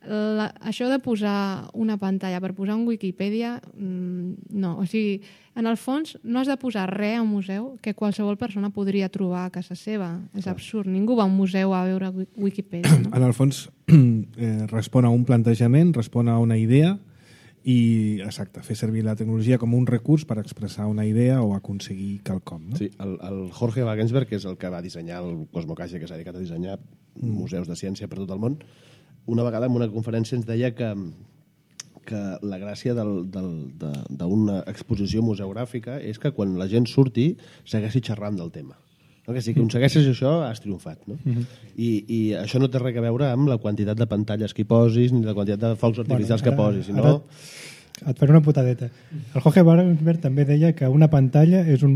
això de posar una pantalla per posar un Wikipedia, no. O sigui, en el fons no has de posar res a un museu que qualsevol persona podria trobar a casa seva. És absurd. Ningú va a un museu a veure Wikipedia. No? En el fons respon a un plantejament, respon a una idea i, exacte, fer servir la tecnologia com un recurs per expressar una idea o aconseguir quelcom. No? Sí, el Jorge Wagensberg, que és el que va dissenyar el Cosmocaixa, que s'ha dedicat a dissenyar museus de ciència per tot el món, una vegada en una conferència ens deia que la gràcia d'una exposició museogràfica és que quan la gent surti segueixi xerrant del tema. No? Que si aconsegueixes això, has triomfat. No? I això no té res a veure amb la quantitat de pantalles que hi posis ni la quantitat de focs artificials que posis, sinó... Et faré una putadeta. El Jorge Wagensberg també deia que una pantalla és un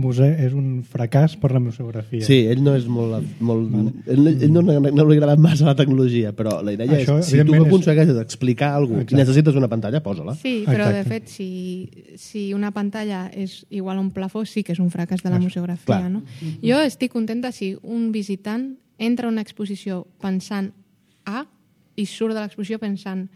fracàs per la museografia. Sí, ell no és ell no li agrada massa la tecnologia, però la idea això, és, si tu aconsegueixes explicar alguna cosa i necessites una pantalla, posa-la. Sí, però de fet, si una pantalla és igual a un plafó, sí que és un fracàs de la museografia. No? Jo estic contenta si un visitant entra a una exposició pensant A i surt de l'exposició pensant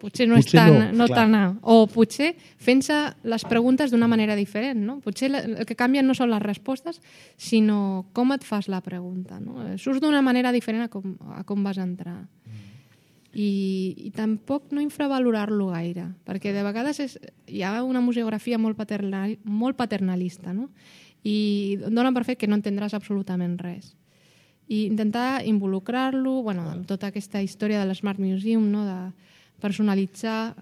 potser no és tan A, o potser fent-se les preguntes d'una manera diferent. No? Potser el que canvien no són les respostes, sinó com et fas la pregunta. No? Surts d'una manera diferent a com vas entrar. I tampoc no infravalorar-lo gaire, perquè de vegades hi ha una museografia molt paternalista, no? I dona per fet que no entendràs absolutament res. I intentar involucrar-lo en tota aquesta història de l'Smart Museum, no? De personalitzar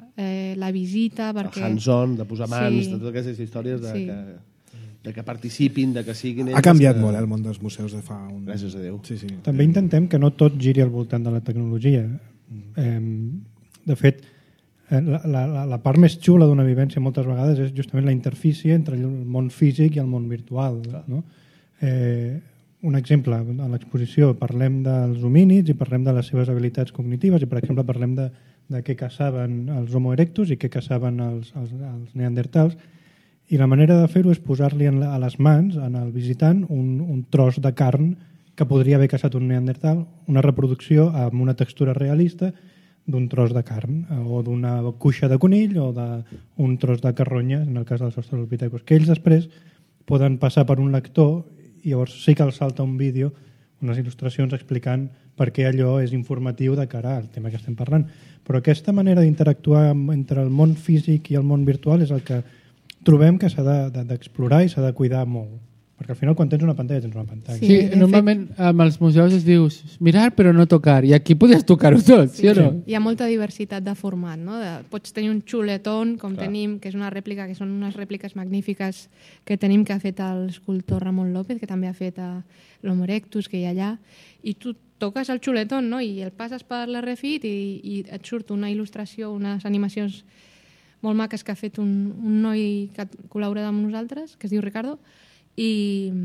la visita perquè... El hands-on, de posar mans, de totes aquestes històries de que participin, de que siguin ells... Ha canviat molt el món dels museus de fa un... Gràcies a Déu. Sí. També intentem que no tot giri al voltant de la tecnologia. De fet, la part més xula d'una vivència moltes vegades és justament la interfície entre el món físic i el món virtual. No? Un exemple, a l'exposició parlem dels homínids i parlem de les seves habilitats cognitives i, per exemple, parlem de què caçaven els Homo erectus i què caçaven els neandertals, i la manera de fer-ho és posar-li a les mans, al visitant, un tros de carn que podria haver caçat un neandertal, una reproducció amb una textura realista d'un tros de carn, o d'una cuixa de conill, o d'un tros de carronya, en el cas dels australopithecus, que ells després poden passar per un lector i llavors sí que els salta un vídeo, unes il·lustracions explicant per què allò és informatiu de cara al tema que estem parlant. Però aquesta manera d'interactuar entre el món físic i el món virtual és el que trobem que s'ha d'explorar i s'ha de cuidar molt. Perquè al final quan tens una pantalla, tens una pantalla. Sí, normalment amb els museus es dius mirar però no tocar, i aquí podries tocar-ho tot, sí o no? Hi ha molta diversitat de format, no? Pots tenir un xuletón, com tenim, que és una rèplica, que són unes rèpliques magnífiques que tenim, que ha fet l'escultor Ramon López, que també ha fet l'Homo erectus, que hi ha allà, i tu toques el xuletón, no? I el passes per l'RFID i et surt una il·lustració, unes animacions molt maques que ha fet un noi que col·labora amb nosaltres, que es diu Ricardo, i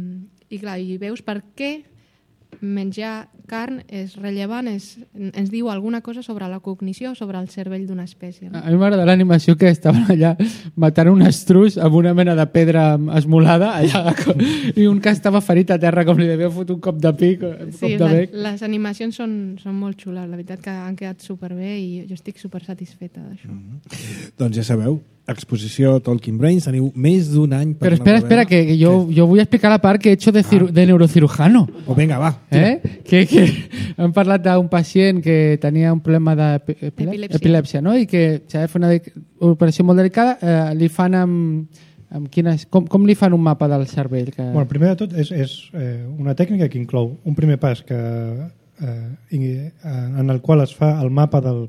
clar, i veus per què menjar carn és rellevant, ens diu alguna cosa sobre la cognició, sobre el cervell d'una espècie. No? A mi m'agrada l'animació que estaven allà matant un estruç amb una mena de pedra esmolada allà, i un que estava ferit a terra com li devia fotre un cop de pic. Sí, les animacions són molt xules, la veritat que han quedat superbé i jo estic supersatisfeta d'això. Doncs ja sabeu, exposició Talking Brains, teniu més d'un any per... Però espera, que jo vull explicar la part que he hecho de neurocirujano. O venga, va. Que hem parlat d'un pacient que tenia un problema d'epilèpsia, no? I que s'ha de fer una operació molt delicada, li fan amb quines... Com li fan un mapa del cervell? Bueno, primer de tot és una tècnica que inclou un primer pas en el qual es fa el mapa de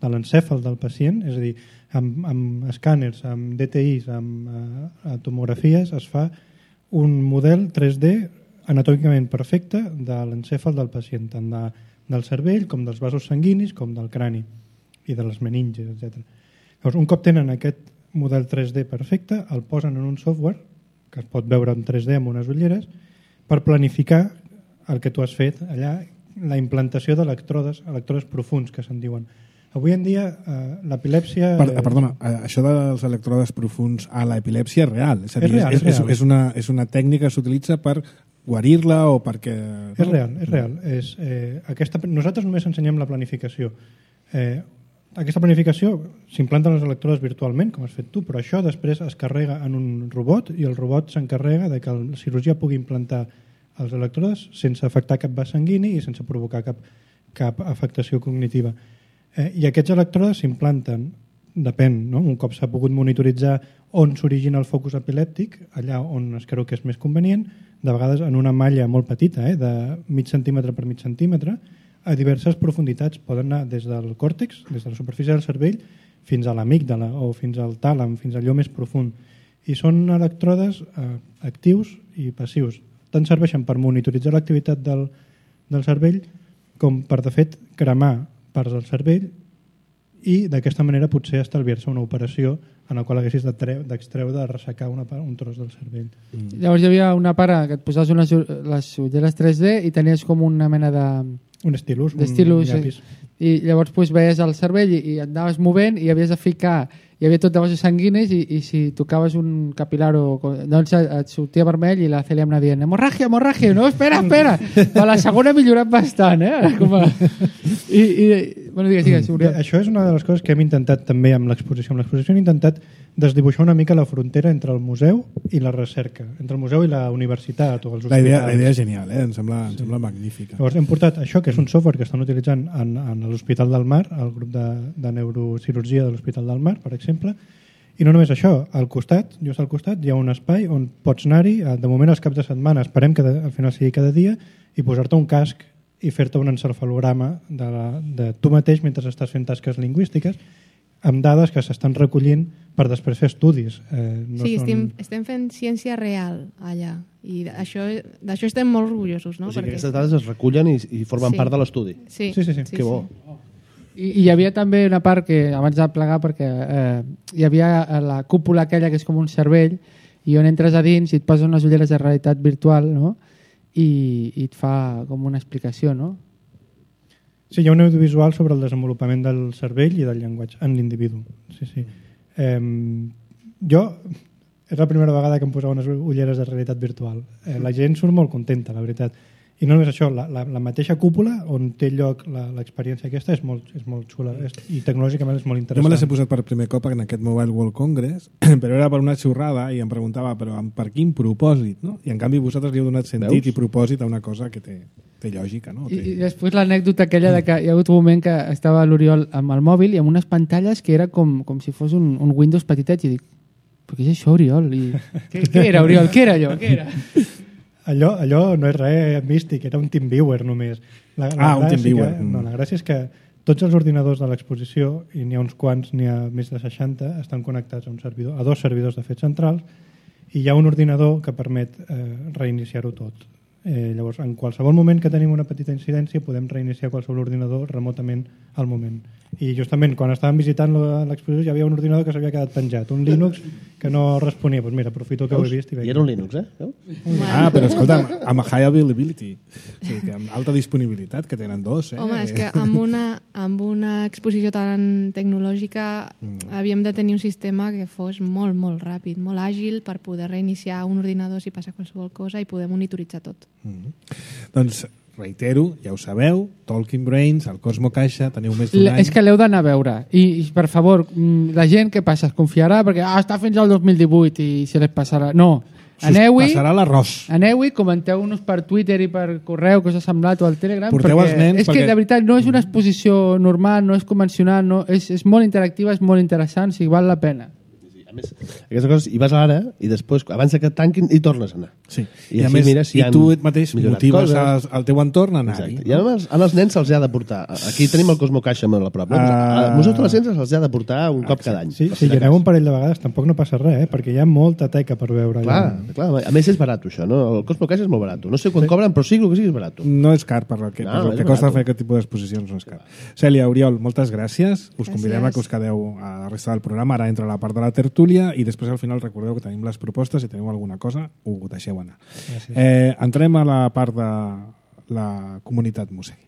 l'encèfal del pacient, és a dir, amb escàners, amb DTIs, amb tomografies, es fa un model 3D anatòmicament perfecte de l'encèfal del pacient, tant del cervell com dels vasos sanguinis com del crani i de les meninges, etc. Llavors, un cop tenen aquest model 3D perfecte, el posen en un software que es pot veure en 3D amb unes ulleres per planificar el que tu has fet allà, la implantació d'electrodes profuns que se'n diuen. Avui en dia l'epilèpsia... Perdona, això dels electrodes profuns a l'epilèpsia és real. És a dir, és real. És una tècnica que s'utilitza per guarir-la o perquè... És real. Nosaltres només ensenyem la planificació. Aquesta planificació s'implanta en les electrodes virtualment, com has fet tu, però això després es carrega en un robot i el robot s'encarrega de que el cirurgià pugui implantar els electrodes sense afectar cap vas sanguini i sense provocar cap afectació cognitiva. I aquests electrodes s'implanten, depèn, no? Un cop s'ha pogut monitoritzar on s'origina el focus epilèptic, allà on es creu que és més convenient, de vegades en una malla molt petita, de mig centímetre per mig centímetre, a diverses profunditats. Poden anar des del còrtex, des de la superfície del cervell, fins a l'amígdala o fins al tàlam, fins a allò més profund. I són electrodes actius i passius. Tant serveixen per monitoritzar l'activitat del cervell com per, de fet, cremar parts del cervell i d'aquesta manera potser estalviar-se una operació en la qual haguessis d'extreure, de ressecar un tros del cervell. Llavors hi havia una part que et posaves les ulleres 3D i tenies com una mena de... Un estilus, un llapis. I llavors veies el cervell i et anaves movent i havies de ficar, hi havia tot de vasos sanguinis i si tocaves un capilar doncs et sortia vermell i la Cèlia em anava dient hemorràgia, no, espera però la segona ha millorat bastant bueno, digues, això és una de les coses que hem intentat també amb l'exposició hem intentat desdibuixar una mica la frontera entre el museu i la recerca, entre el museu i la universitat o els hospitals. La idea és genial, em sembla magnífica. Llavors hem portat això, que és un software que estan utilitzant en l'Hospital del Mar, el grup de neurocirurgia de l'Hospital del Mar, per exemple, i no només això, just al costat hi ha un espai on pots anar-hi, de moment els caps de setmana, esperem que al final sigui cada dia, i posar-te un casc i fer-te un encefalograma de tu mateix mentre estàs fent tasques lingüístiques amb dades que s'estan recollint per després fer estudis. Estem fent ciència real allà i d'això estem molt orgullosos. No? O sigui, aquestes dades es recullen i formen part de l'estudi. Sí. Que bo. I hi havia també una part que, abans de plegar, perquè hi havia la cúpula aquella que és com un cervell i on entres a dins i et posen unes ulleres de realitat virtual, no? I et fa com una explicació, no? Sí, hi ha un audiovisual sobre el desenvolupament del cervell i del llenguatge en l'individu. Sí. Jo, és la primera vegada que em posava unes ulleres de realitat virtual. La gent surt molt contenta, la veritat. I no només això, la mateixa cúpula on té lloc l'experiència aquesta és molt xula i tecnològicament és molt interessant. Jo me les he posat per primer cop en aquest Mobile World Congress, però era per una xorrada i em preguntava però per quin propòsit, no? I en canvi vosaltres li heu donat sentit i propòsit a una cosa que té lògica, no? I després l'anècdota aquella de que hi ha hagut un moment que estava l'Oriol amb el mòbil i amb unes pantalles que era com si fos un Windows petitet i dic, però què és això, Oriol? Què era, Oriol? Què era allò? Què era? Allò no és res místic, era un TeamViewer només. Un TeamViewer. La gràcia és que tots els ordinadors de l'exposició, i n'hi ha uns quants, n'hi ha més de 60, estan connectats a un servidor, a 2 servidors de fet centrals, i hi ha un ordinador que permet reiniciar-ho tot. Llavors, en qualsevol moment que tenim una petita incidència podem reiniciar qualsevol ordinador remotament al moment. I justament quan estàvem visitant l'exposició hi havia un ordinador que s'havia quedat penjat, un Linux que no responia. Doncs mira, aprofito que ho he vist. I era un Linux, Però escolta, amb high availability, o sigui, amb alta disponibilitat, que tenen dos. Home, és que amb una exposició tan tecnològica havíem de tenir un sistema que fos molt, molt ràpid, molt àgil per poder reiniciar un ordinador si passa qualsevol cosa i poder monitoritzar tot. Doncs reitero, ja ho sabeu, Talking Brains, el Cosmo Caixa, teniu més d'un any. És que l'heu d'anar a veure. I per favor, la gent, què passa? Es confiarà perquè està fins al 2018 i se les passarà. No, aneu-hi. Passarà l'arròs. Aneu-hi, comenteu-nos per Twitter i per correu que us ha semblat o al Telegram. Porteu els nens és que, de veritat, no és una exposició normal, no és convencional, és molt interactiva, és molt interessant, si val la pena. A més, aquestes coses, hi vas ara i després, abans que et tanquin, hi tornes a anar. Sí. I a més, i tu mateix motives el teu entorn a anar-hi. I als nens se'ls ha de portar. Aquí tenim el Cosmo Caixa molt a prop. Al Museu de la Ciència se'ls ha de portar un cop cada any. Sí, si hi aneu un parell de vegades tampoc no passa res, perquè hi ha molta teca per veure. Clar, a més és barat això, no? El Cosmo Caixa és molt barat. No sé quan cobren, però sigui el que sigui és barat. No és car per el que costa fer aquest tipus d'exposicions, no és car. Cèlia, Oriol, moltes gràcies. Us convidem a que us quedeu a la resta del programa. Ara entra la part de la tertúlia tertúlia i després al final recordeu que tenim les propostes, si teniu alguna cosa ho deixeu anar. Entrem a la part de la comunitat Mosegui.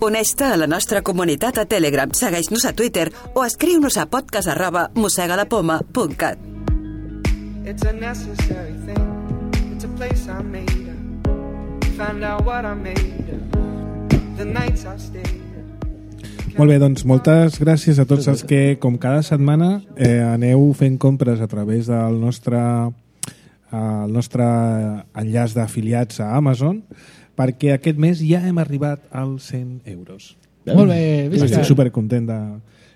Uneix-te a la nostra comunitat a Telegram, segueix-nos a Twitter o escriu-nos a podcast@mosegalapoma.cat. It's a necessary thing. It's a place I made up. Find out what I made up. The nights I stayed up. Molt bé, doncs moltes gràcies a tots els que, com cada setmana, aneu fent compres a través del nostre enllaç d'afiliats a Amazon, perquè aquest mes ja hem arribat als 100 euros. Molt bé, visca. Estic supercontent de...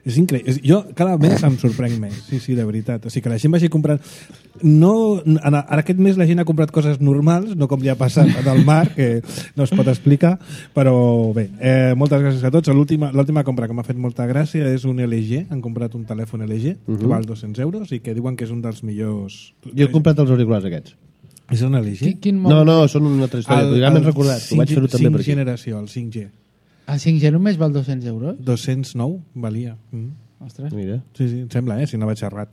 És increïble. Jo cada mes em sorprenc més. Sí, de veritat. O sigui que la gent vagi comprant... No, ara aquest mes la gent ha comprat coses normals, no com ja ha passat del mar, que no es pot explicar, però bé, moltes gràcies a tots. L'última compra que m'ha fet molta gràcia és un LG. Han comprat un telèfon LG que val 200 euros i que diuen que és un dels millors... Jo he comprat els auriculars aquests. És un LG? No, són una altra història. Ja m'he recordat. Ho vaig fer-ho també per aquí. 5 generació, el 5G. El 5G només val 200 euros? 209 valia. Ostres. Mira. Sí, em sembla, si no vaig errat.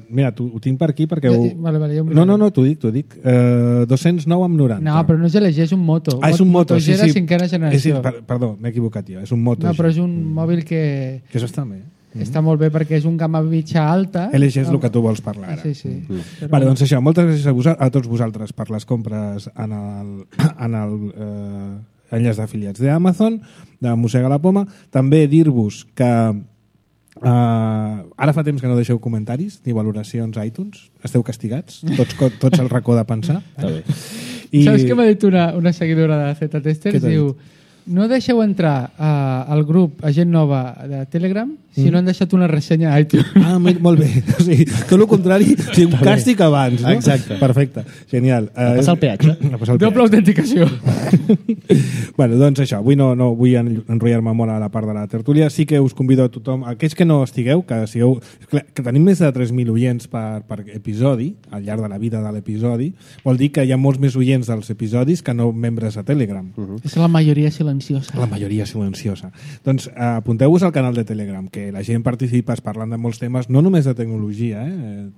Mira, ho tinc per aquí perquè... Vale, No, t'ho dic. 209 amb 90. No, però no és LG, és un Moto. És un Moto, sí. Moto G de cinquena generació. Perdó, m'he equivocat jo, és un Moto. No, però és un mòbil que... Que això està bé. Està molt bé perquè és un gamma mitja alta. LG és el que tu vols parlar ara. Sí. Vale, doncs això, moltes gràcies a tots vosaltres per les compres en el enllaç d'afiliats d'Amazon, de Mossega la Poma. També dir-vos que ara fa temps que no deixeu comentaris ni valoracions a iTunes. Esteu castigats, tots al racó de pensar. Està bé. Saps què m'ha dit una seguidora de Z-Testers? Diu... No deixeu entrar al grup a gent nova de Telegram si no han deixat una ressenya a iTunes. Molt bé. O sigui, tot el contrari, un càstig abans, no? Exacte. Perfecte, genial. A passar el peatge. Doble autenticació. Bueno, doncs això, avui no vull enrotllar-me molt a la part de la tertúlia. Sí que us convido a tothom, aquells que no estigueu, que tenim més de 3.000 oients per episodi, al llarg de la vida de l'episodi, vol dir que hi ha molts més oients dels episodis que no membres a Telegram. És la majoria silenciosa. La majoria silenciosa. Doncs apunteu-vos al canal de Telegram, que la gent participa parlant de molts temes, no només de tecnologia.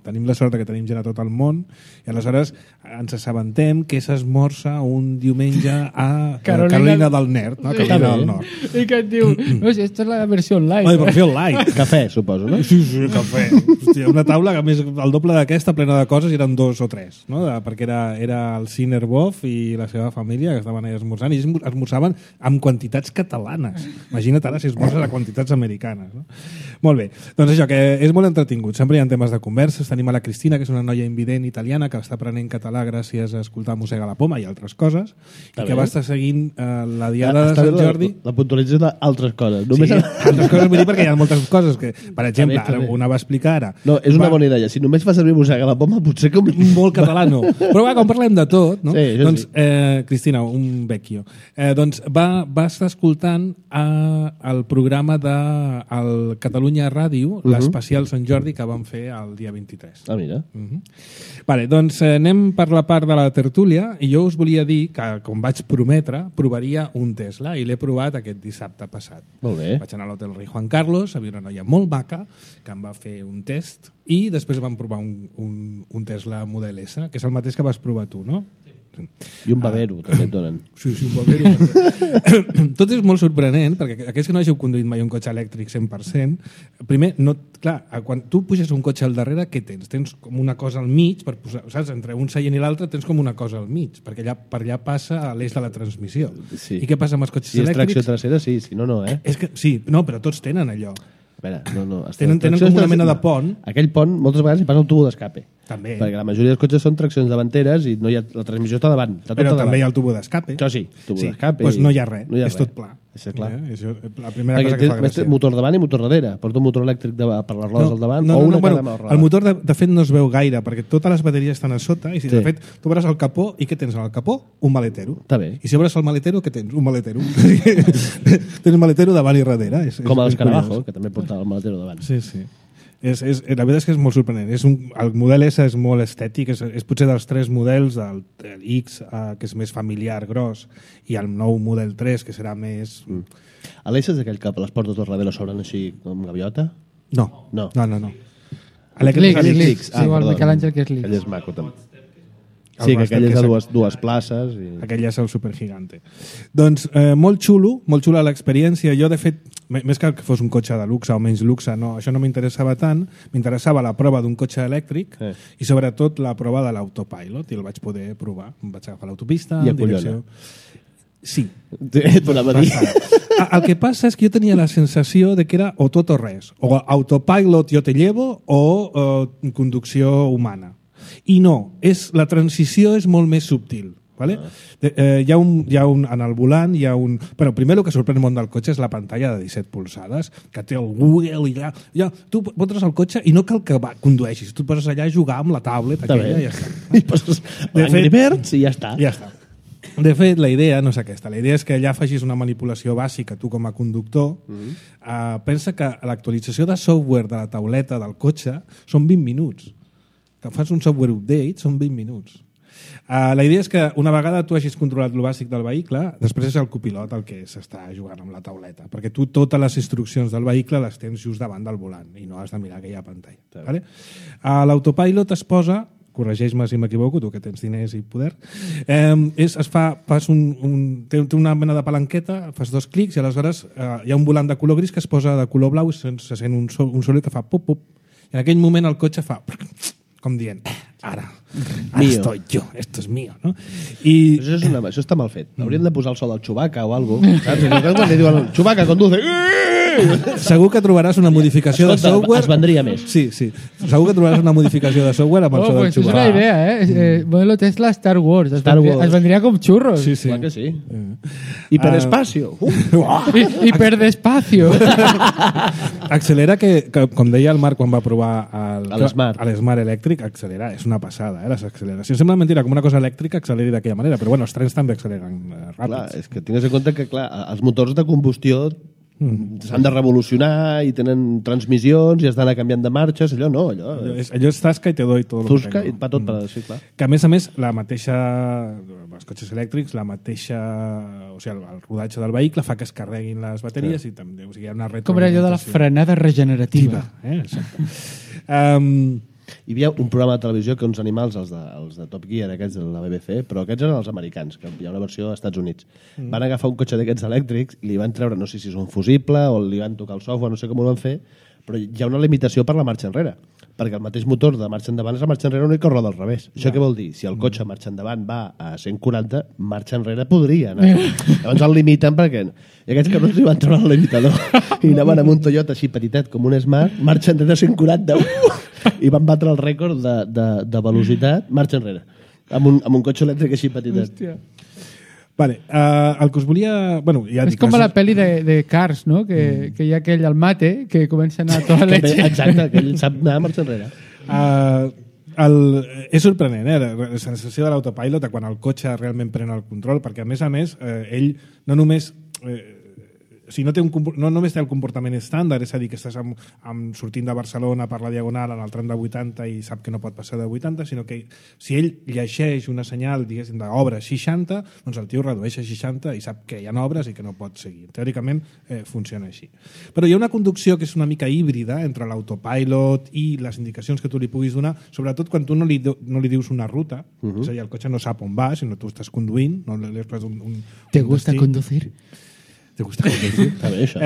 Tenim la sort que tenim gent a tot el món i aleshores ens assabentem que s'esmorza un diumenge a Carolina del Nord. No? Carolina del Nord. I que et diu, no, si esta és la versió online. La versió online. Cafè, suposo, no? Sí, cafè. Hòstia, una taula que més el doble d'aquesta, plena de coses, eren 2 o 3, no? Perquè era el Ciner Boff i la seva família que estaven allà esmorzant i esmorzaven amb quantitats catalanes. Imagina't ara si esmorzes a quantitats americanes. No? Molt bé. Doncs això, que és molt entretingut. Sempre hi ha temes de converses. Tenim a la Cristina, que és una noia invident italiana que està aprenent català gràcies a escoltar Mossega la Poma i altres coses, i que va estar seguint la Diada de Sant Jordi. La puntualització d'altres coses. Sí, altres coses vull dir perquè hi ha moltes coses que, per exemple, una va explicar ara. No, és una bona idea. Si només fa servir Mossega la Poma, potser que... Molt català, no. Però va, com parlem de tot, no? Sí, doncs, Cristina, un vecchio. Doncs va estar escoltant el programa del Catalunya Ràdio, l'especial Sant Jordi que vam fer el dia 23. Ah, mira. Vale, doncs anem per la part de la tertúlia i jo us volia dir que, com vaig prometre, provaria un Tesla i l'he provat aquest dissabte passat. Molt bé. Vaig anar a l'hotel Rei Juan Carlos, havia una noia molt maca que em va fer un test i després vam provar un Tesla Model S, que és el mateix que vas provar tu, no? I un babero, també et donen. Sí, un babero. Tot és molt sorprenent, perquè aquells que no hàgiu conduït mai un cotxe elèctric 100%, primer, quan tu puges un cotxe al darrere, què tens? Tens com una cosa al mig, per posar, saps? Entre un seient i l'altre tens com una cosa al mig, perquè per allà passa l'eix de la transmissió. Sí. I què passa amb els cotxes elèctrics? Si és elèctrics? tracció trasera, sí, si no, no, eh? Sí, no, però tots tenen allò. A veure, no. Tenen com una mena de pont. Aquell pont, moltes vegades hi passa el tubo d'escape. També. Perquè la majoria dels cotxes són traccions davanteres i no hi ha, la transmissió està davant. Però també hi ha el tubo d'escape. Això sí, tubo d'escape. Doncs no hi ha res, és tot pla. És clar. La primera cosa que fa gràcia. Motor davant i motor darrere. Porta un motor elèctric per les rodes al davant o una cada mà al el motor de fet no es veu gaire perquè totes les bateries estan a sota i si de fet tu obres el capó i què tens al capó? Un maletero. Està bé. I si obres el maletero, què tens? Un maletero. Tens un maletero davant i darrere. Com a l'Escarabajo, que també porta el maletero davant. Sí. La veritat és que és molt sorprenent. El model S és molt estètic, és potser dels 3 models, el X, que és més familiar, gros, i el nou model 3, que serà més... L'S és aquell que les portes del darrere s'obren així com gaviota? No. L'Eclipse, igual Miquel Àngel que és l'X. Aquell és maco, també. Sí, que aquell és de dues places. Aquell ja és el supergigante. Doncs molt xula l'experiència. Jo, de fet, més que fos un cotxe de luxe o menys luxe, no, això no m'interessava tant. M'interessava la prova d'un cotxe elèctric i sobretot la prova de l'autopilot, i el vaig poder provar. Em vaig agafar l'autopista... I acollona. Sí. El que passa és que jo tenia la sensació de que era o tot o res. O autopilot jo te llevo o conducció humana. I no, la transició és molt més subtil. ¿Vale? Hi ha un, en el volant hi ha un... Bueno, primer el que sorprèn el món del cotxe és la pantalla de 17 polzades, que té el Google i ja tu potres el cotxe i no cal que condueixis, tu poses allà a jugar amb la tablet aquella i ja està. I poses Angry Birds i ja està. Ja està. De fet, la idea no és aquesta. La idea és que allà facis una manipulació bàsica tu com a conductor. Pensa que l'actualització de software de la tauleta del cotxe són 20 minuts. Que fas un software update són 20 minuts. La idea és que una vegada tu hagis controlat el bàsic del vehicle, després és el copilot el que s'està jugant amb la tauleta, perquè tu totes les instruccions del vehicle les tens just davant del volant i no has de mirar aquella pantalla. Vale? L'autopilot es posa, corregeix-me si m'equivoco, tu que tens diners i poder, té una mena de palanqueta, fas 2 clics i aleshores hi ha un volant de color gris que es posa de color blau i se sent un soroll que fa pop-pop. I en aquell moment el cotxe fa... com dient, ara estoy yo, esto es mío, no? I... Això està mal fet. Hauríem de posar el so del Chewbacca o alguna cosa, saps? Quan li diuen Chewbacca conduce... Segur que trobaràs una modificació de software... Es vendria més. Sí. Segur que trobaràs una modificació de software amb el so del Chewbacca. És una idea, Modelo Tesla Star Wars. Es vendria com xurros. Sí. Clar que sí. Hiperespacio. Hiperdespacio. Accelera que, com deia el Marc quan va provar l'Smart elèctric, accelera. És una passada, les acceleracions. Sembla mentira, com una cosa elèctrica acceleri d'aquella manera, però bueno, els trens també acceleren ràpids. Clar, és que tingues en compte que els motors de combustió s'han de revolucionar i tenen transmissions i has d'anar canviant de marxes, allò és tasca i te doy tot Tusca i va tot per sí, clar. Que a més, la mateixa els cotxes elèctrics, la mateixa o sigui, el rodatge del vehicle fa que es carreguin les bateries i també hi ha una retroalimentació. Com era allò de la frenada regenerativa. Hi havia un programa de televisió que uns animals, els de Top Gear, aquests de la BBC, però aquests eren els americans, que hi ha una versió als Estats Units. Van agafar un cotxe d'aquests elèctrics i li van treure, no sé si és un fusible o li van tocar el software, no sé com ho van fer, però hi ha una limitació per la marxa enrere, perquè el mateix motor de marxa endavant és la marxa enrere única o roda al revés. Això què vol dir? Si el cotxe marxa endavant va a 140, marxa enrere podria anar. Llavors el limiten perquè... I aquests cabrons li van treure el limitador i anaven amb un Toyota així petitet com un Smart, marxa enrere a 140, i van batre el rècord de velocitat, marxa enrere, amb un cotxe elèctric així petitet. Hòstia. Vale, el que us volia... Bueno, ja és com a la pel·li de Cars, no? Que hi ha aquell al mate que comença a anar a tota leche. Exacte, que ell sap anar a marxa enrere. És sorprenent, la sensació de l'autopilot quan el cotxe realment pren el control, perquè a més, ell no només... O sigui, no només té el comportament estàndard, és a dir, que estàs sortint de Barcelona per la Diagonal en el tram de 80 i sap que no pot passar de 80, sinó que si ell llegeix una senyal, diguéssim, d'obres 60, doncs el tio redueix a 60 i sap que hi ha obres i que no pot seguir. Teòricament funciona així. Però hi ha una conducció que és una mica híbrida entre l'autopilot i les indicacions que tu li puguis donar, sobretot quan tu no li dius una ruta, és a dir, el cotxe no sap on va, sinó tu estàs conduint, no li has pres un ¿Te gusta conducir? Te gusta conducir? Està bé, això.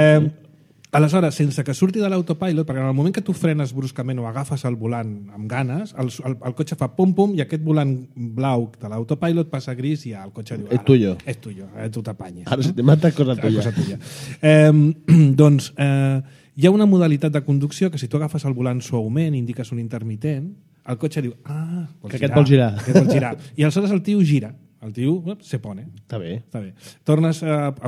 Aleshores, sense que surti de l'autopilot, perquè en el moment que tu frenes bruscament o agafes el volant amb ganes, el cotxe fa pum-pum i aquest volant blau de l'autopilot passa a gris i el cotxe diu... És tuyo. És tuyo, tu t'apanyes. Ara si te mata, cosa tuya. Doncs hi ha una modalitat de conducció que si tu agafes el volant suaument i indiques un intermitent, el cotxe diu, que aquest vol girar. I aleshores el tio gira. El tio se pone. Està bé. Tornes al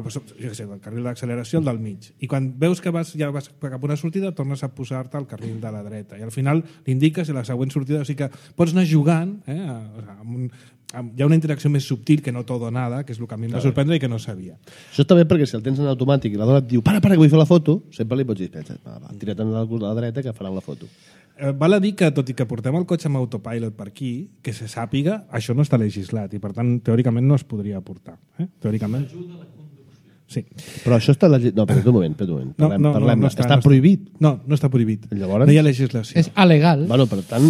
carril d'acceleració, el del mig. I quan veus que ja vas cap a una sortida, tornes a posar-te al carril de la dreta. I al final l'indiques i la següent sortida... O sigui que pots anar jugant hi ha una interacció més subtil que no todo nada, que és el que a mi em va sorprendre i que no sabia. Això està bé perquè si el tens en automàtic i la dona et diu para, que vull fer la foto, sempre li pots dir, tira't a la dreta que faran la foto. Val a dir que, tot i que portem el cotxe amb autopilot per aquí, que se sàpiga, això no està legislat i, per tant, teòricament no es podria portar. Teòricament. Sí. Però això està... No, però un moment. Parlem. No està prohibit. No està prohibit. Llavors... No hi ha legislació. És alegal. Bueno, per tant,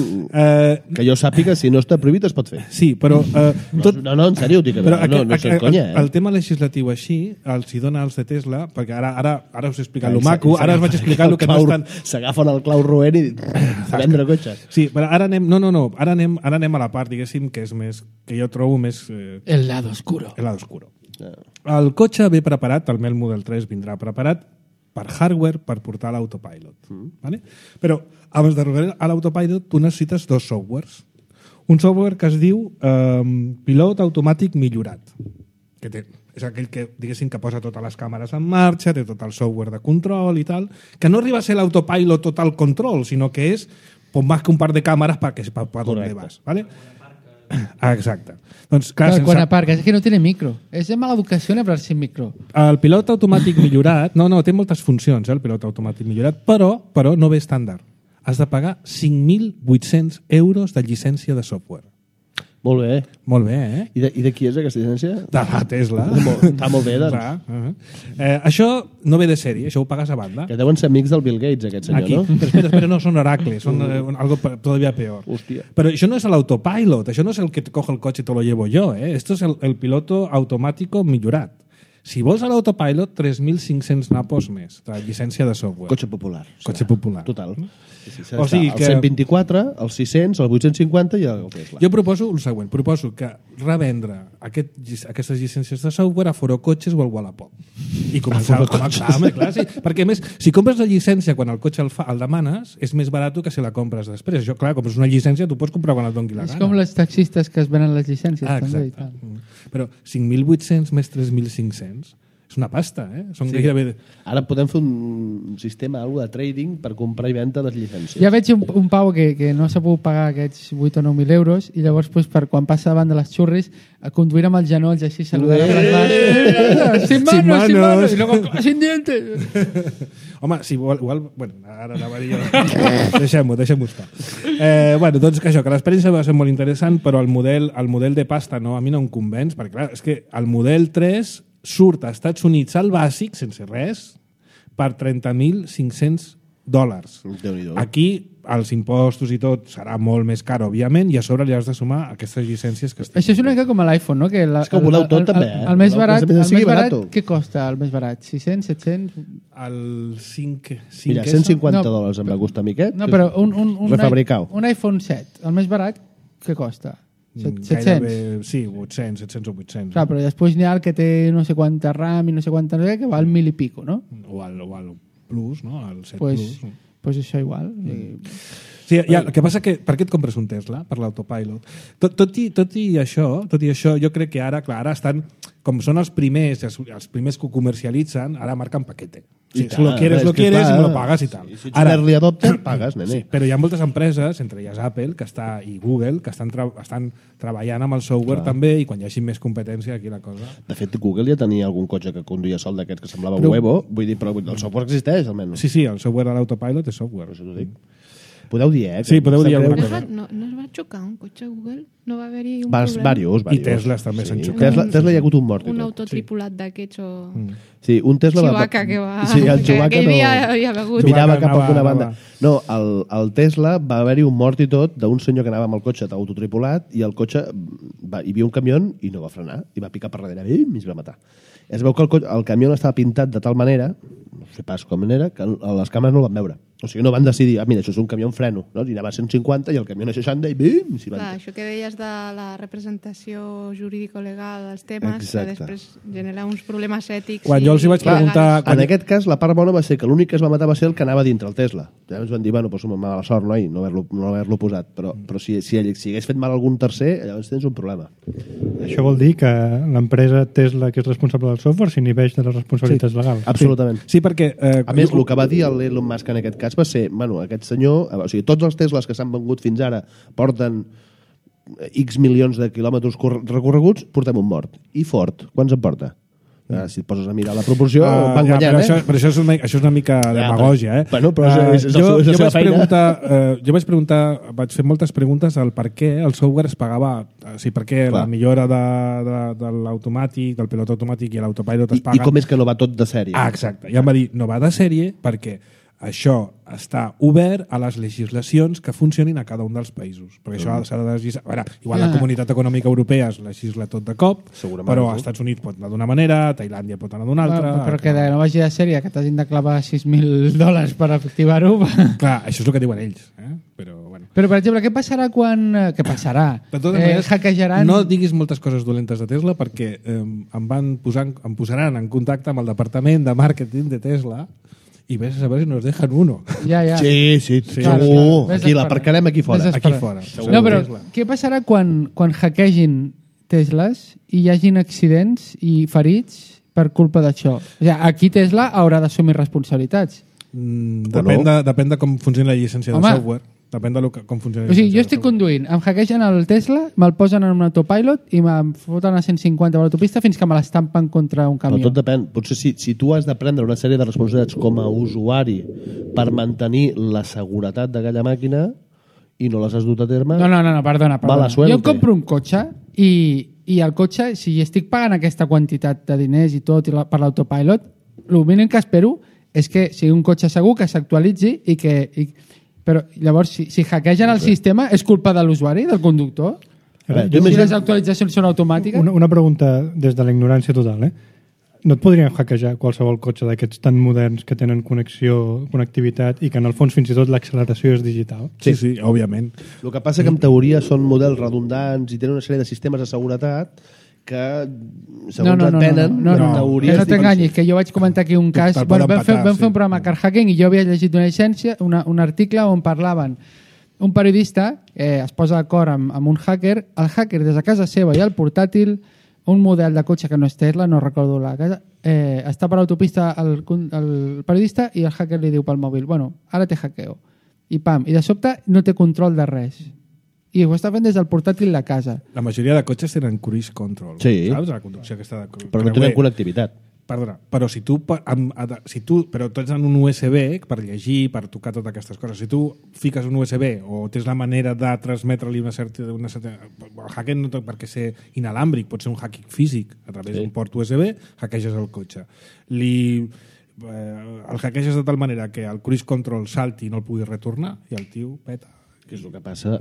que jo sàpiga, si no està prohibit es pot fer. Sí, però... No, en sèrio, dic, no sé conya, El tema legislatiu així els hi dona als de Tesla, perquè ara us he explicat lo maco, ara us vaig explicar el que no estan... S'agafen el clau roent i vendre cotxes. Sí, però ara anem... No, ara anem a la part, diguéssim, que és més... que jo trobo més... El lado oscuro. El lado oscuro. El cotxe ve preparat, el Mel Model 3 vindrà preparat per hardware per portar l'autopilot. Vale? Però abans d'arribar a l'autopilot tu necessites dos softwares. Un software que es diu Pilot Automàtic Millorat, que és aquell que, diguéssim, que posa totes les càmeres en marxa, té tot el software de control i tal, que no arriba a ser l'autopilot total control, sinó que és más que un par de càmeres para donde vas. ¿Vale? Exacte. Doncs, clar, quan aparques, és que no té micro. És de mala educació anar sin micro. El pilot automàtic millorat... No, té moltes funcions, el pilot automàtic millorat, però no ve estàndard. Has de pagar 5.800 euros de llicència de software. Molt bé. Molt bé, I de qui és aquesta llicència? De la Tesla. Està molt bé, doncs. Això no ve de sèrie, això ho pagues a banda. Que deuen ser amics del Bill Gates, aquest senyor, aquí. No? Però espera, no són oracles, són algo todavía peor. Hòstia. Però això no és l'autopilot, això no és el que te coge el cotxe i te lo llevo yo, Esto es el piloto automático millorat. Si vols a l'autopilot, 3.500 napos més de llicència de software. Cotxe popular. Cotxe popular. Total. O sigui el 124, el 600, el 850 i el Tesla. Jo proposo el següent. Proposo que revendre aquestes llicències de software a Foro Cotxes o al Wallapop. I començar clar, sí. Perquè, a més, si compres la llicència quan el cotxe el demanes, és més barat que si la compres després. Això, clar, compres una llicència, tu pots comprar quan et doni la gana. És com les taxistes que es venen les llicències. També, i tal. Però 5.800 més 3.500 és una pasta, Són gairebé... Ara podem fer un sistema, alguna de trading per comprar i vendre les llicències. Ja veig un pau que no s'ha pogut pagar aquests 8 o 9.000 euros i llavors per quan passa davant de les xurris a conduir amb els genolls així saludant sin manos i luego sin dientes. Home, si igual... Bueno, ara anava a dir jo... Deixem-ho estar. Doncs que això, que l'experiència va ser molt interessant, però el model de pasta a mi no em convenç, perquè clar, és que el model 3 surt a Estats Units al bàsic, sense res, per $30.500. Aquí els impostos i tot serà molt més car, òbviament, i a sobre li has de sumar aquestes llicències que Això és una mica com l'iPhone, no? Que és que ho voleu tot, també, El més barat, què costa el més barat? 600, 700? El 5... Mira, $150 em va costar a mi aquest. No, però un iPhone 7, el més barat, què costa? 700? Sí, 700 o 800. Clar, però després n'hi ha el que té no sé quanta RAM i no sé quanta que val 1.000 i pico, no? O al Plus, no? El 7 pues, Plus. Pues això igual. Sí, el que passa que per què et compres un Tesla? Per l'autopilot. Tot i això, jo crec que ara estan, com són els primers que ho comercialitzen, ara marquen paquete. Si lo quieres, y me lo pagas y tal. Si ets un early adopter, pagues, nene. Sí, però hi ha moltes empreses, entre elles Apple i Google, que estan treballant amb el software també, i quan hi hagi més competència, aquí la cosa... De fet, Google ja tenia algun cotxe que conduïa sol d'aquests que semblava huevo, vull dir, però el software existeix, almenys. Sí, el software de l'autopilot és software. Això t'ho dic. Podeu dir, Sí, podeu dir alguna cosa. No es va xocar un cotxe Google? No va haver-hi un problema? Varios. I Teslas també s'han xocat. Tesla hi ha hagut un mort. Un autotripulat d'aquests o... Sí, un Tesla... Chewbacca que va... Sí, el Chewbacca que hi havia begut. Mirava cap a una banda. No, el Tesla va haver-hi un mort i tot d'un senyor que anava amb el cotxe autotripulat i el cotxe... Hi havia un camió i no va frenar i va picar per darrere i es va matar. Es veu que el camió estava pintat de tal manera, no sé pas com era, que les càmeres no el van veure. O sigui, no van decidir, mira, això és un camió en freno, no? I anava a 150 i el camió a 60 i bim! Clar, això que deies de la representació jurídico-legal dels temes, que després genera uns problemes ètics. Quan jo els vaig preguntar... En aquest cas, la part bona va ser que l'únic que es va matar va ser el que anava dintre el Tesla. Llavors van dir, bueno, doncs mala sort, noi, no haver-lo posat. Però si hagués fet mal a algun tercer, llavors tens un problema. Això vol dir que l'empresa Tesla, que és responsable del software, s'inhibeix de les responsabilitats legals. Absolutament. Sí, perquè... A més, el que va dir l'Elon Musk en aquest cas va ser, bueno, aquest senyor, o sigui, tots els Teslas que s'han vengut fins ara porten X milions de quilòmetres recorreguts, portem un mort. I Ford, quants en porta? Si et poses a mirar la proporció, van guanyant, però això és una mica demagògia, eh? Bueno, però és jo la seva feina. Vaig fer moltes preguntes al per què el software es pagava, o sigui, per què la millora de l'automàtic, del pilot automàtic i l'autopilot es paga. I com és que no va tot de sèrie? Exacte. I em va dir, no va de sèrie perquè això està obert a les legislacions que funcionin a cada un dels països. Perquè això s'ha de legislar. A veure, igual la Comunitat Econòmica Europea es legisla tot de cop, però als Estats Units pot anar d'una manera, Tailàndia pot anar d'una altra... Però que no vagi de sèrie, que t'hagin de clavar $6.000 per activar-ho... Clar, això és el que diuen ells. Però, bueno. Però, per exemple, què passarà quan... Què passarà? De totes maneres, hackejaran... no diguis moltes coses dolentes de Tesla perquè em posaran en contacte amb el departament de màrqueting de Tesla i ves a saber si nos dejan uno. Ja. Sí, segur. Aquí l'aparcarem aquí fora. Aquí fora. No, però què passarà quan hackegin Teslas i hi hagin accidents i ferits per culpa d'això? O sigui, aquí Tesla haurà d'assumir responsabilitats. Depèn de com funciona la llicència de software. Depèn de com funciona. O sigui, jo estic conduint, em hackegen el Tesla, me'l posen en un autopilot i me'm foten a 150 per l'autopista fins que me l'estampen contra un camió. Però tot depèn. Potser si tu has de prendre una sèrie de responsabilitats com a usuari per mantenir la seguretat d'aquella màquina i no les has dut a terme... No, perdona. Mala suerte. Jo em compro un cotxe i el cotxe, si estic pagant aquesta quantitat de diners i tot per l'autopilot, el mínim que espero és que sigui un cotxe segur, que s'actualitzi i que... Però llavors, si hackegen el sistema, és culpa de l'usuari, del conductor? Si les actualitzacions són automàtiques? Una pregunta des de la ignorància total, No et podrien hackejar qualsevol cotxe d'aquests tan moderns que tenen connectivitat i que en el fons fins i tot l'acceleració és digital? Sí, òbviament. El que passa que en teoria són models redundants i tenen una sèrie de sistemes de seguretat que segons et venen que no t'enganyis, que jo vaig comentar aquí un cas vam fer un programa Car Hacking i jo havia llegit una llicència, un article on parlaven un periodista es posa d'acord amb un hacker, el hacker des de casa seva i el portàtil, un model de cotxe que no és Tesla, no recordo la casa, està per l'autopista el periodista i el hacker li diu pel mòbil, bueno, ara te hackeo i pam, i de sobte no té control de res i ho està fent des del portàtil de casa. La majoria de cotxes tenen cruise control, saps? La conducció aquesta de però no tenen connectivitat. Perdona, però si tu però tu ets en un USB per llegir, per tocar totes aquestes coses, si tu fiques un USB o tens la manera de transmetre-li una certa... El hacking no té per què ser inalàmbric, pot ser un hacking físic a través d'un port USB, hackeges el cotxe. El hackeges de tal manera que el cruise control salti i no el pugui retornar i el tio peta. Que és el que passa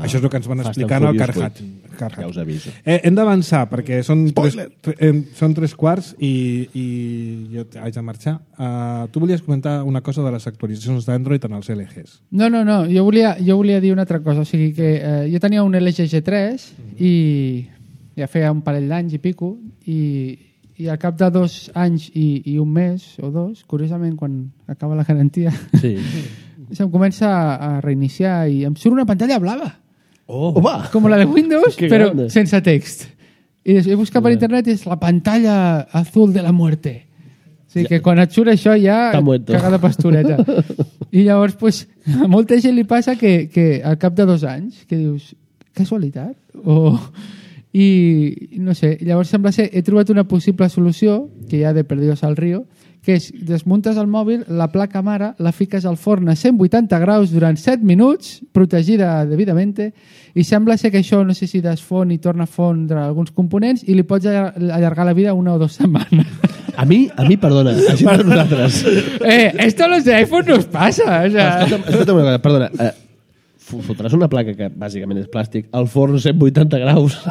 això és el que ens van explicar al Car Hacking. Ja us aviso. Hem d'avançar perquè són 3:15 i jo haig de marxar. Tu volies comentar una cosa de les actualitzacions d'Android en els LGs. No, jo volia dir una altra cosa. O sigui que jo tenia un LG G3 i ja feia un parell d'anys i pico i al cap de 2 anys i un mes o 2, curiosament quan acaba la garantia se'm comença a reiniciar i em surt una pantalla blava com la de Windows però sense text i he buscat per internet i és la pantalla azul de la muerte, o sigui que quan et surt això ja cagada pastoreta i llavors pues, a molta gent li passa que al cap de 2 anys que dius, casualitat i no sé, llavors sembla ser he trobat una possible solució que ja de perdidos al río que és, desmuntes el mòbil, la placa mare, la fiques al forn a 180 graus durant 7 minuts, protegida debidament, i sembla ser que això, no sé si desfon i torna a fondre alguns components, i li pots allargar la vida 1 o 2 setmanes. A mi, perdona, a gent de nosaltres. Esto a los de iPhone no os pasa. O sea... Escolta'm una cosa, perdona, fotràs una placa que bàsicament és plàstic al forn 180 graus...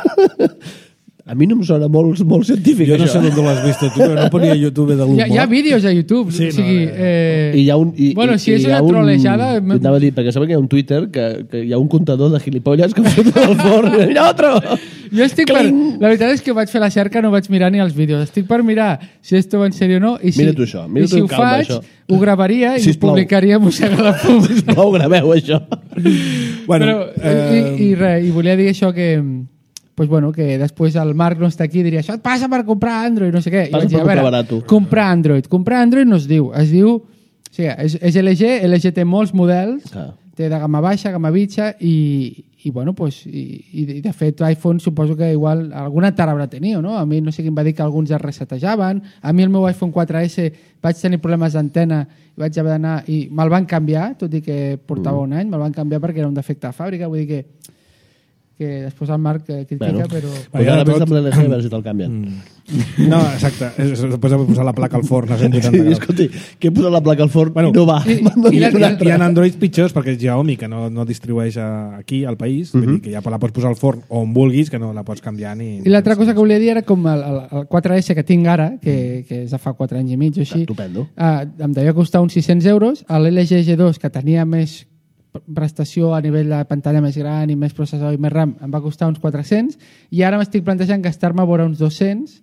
A mi no em sona molt científic, jo no sé on l'has vist tu, però no ponia a YouTube de l'humor. Hi ha vídeos a YouTube. Sí, o sigui, I hi ha un... bueno, si és una trolejada... Anava a dir, perquè sabeu que hi ha un Twitter que hi ha un comptador de gilipolles que fot al forn. Mira, otro! Jo estic per... La veritat és que vaig fer la cerca, no vaig mirar ni els vídeos. Estic per mirar si esto va en sèrio o no. I si, mira tu això, mira tu si ho faig, ho gravaria i ho publicaria a Mossega la Poma. Sisplau, graveu això. Bueno, i volia dir això que... Pues bueno, que després el Marc no està aquí i diria això et passa per comprar Android, no sé què. Passa per comprar barat. Comprar Android no es diu. Es diu... O sigui, és LG té molts models, té de gamma baixa, gamma mitja i bueno, pues, i de fet iPhone suposo que igual alguna tara haurà teniu, no? A mi no sé qui em va dir que alguns es resetejaven. A mi el meu iPhone 4S vaig tenir problemes d'antena i vaig haver d'anar i me'l van canviar, tot i que portava un any, me'l van canviar perquè era un defecte de fàbrica, vull dir que després el Marc critica, però... Ara vés amb l'LG a veure si te'l canvien. No, exacte. Després de posar la placa al forn a 180 Sí, graus. escolti, que he posat la placa al forn i no va. Hi ha Androids pitjors perquè és Xiaomi, que no distribueix aquí al país, vull dir que ja la pots posar al forn on vulguis, que no la pots canviar ni... I l'altra cosa que volia dir era com el 4S que tinc ara, que és de fa 4 anys i mig o així, Estupendo. em devia costar uns 600 euros, l'LG G2, que tenia més prestació a nivell de pantalla més gran i més processador i més RAM, em va costar uns 400, i ara m'estic plantejant gastar-me a vora uns 200,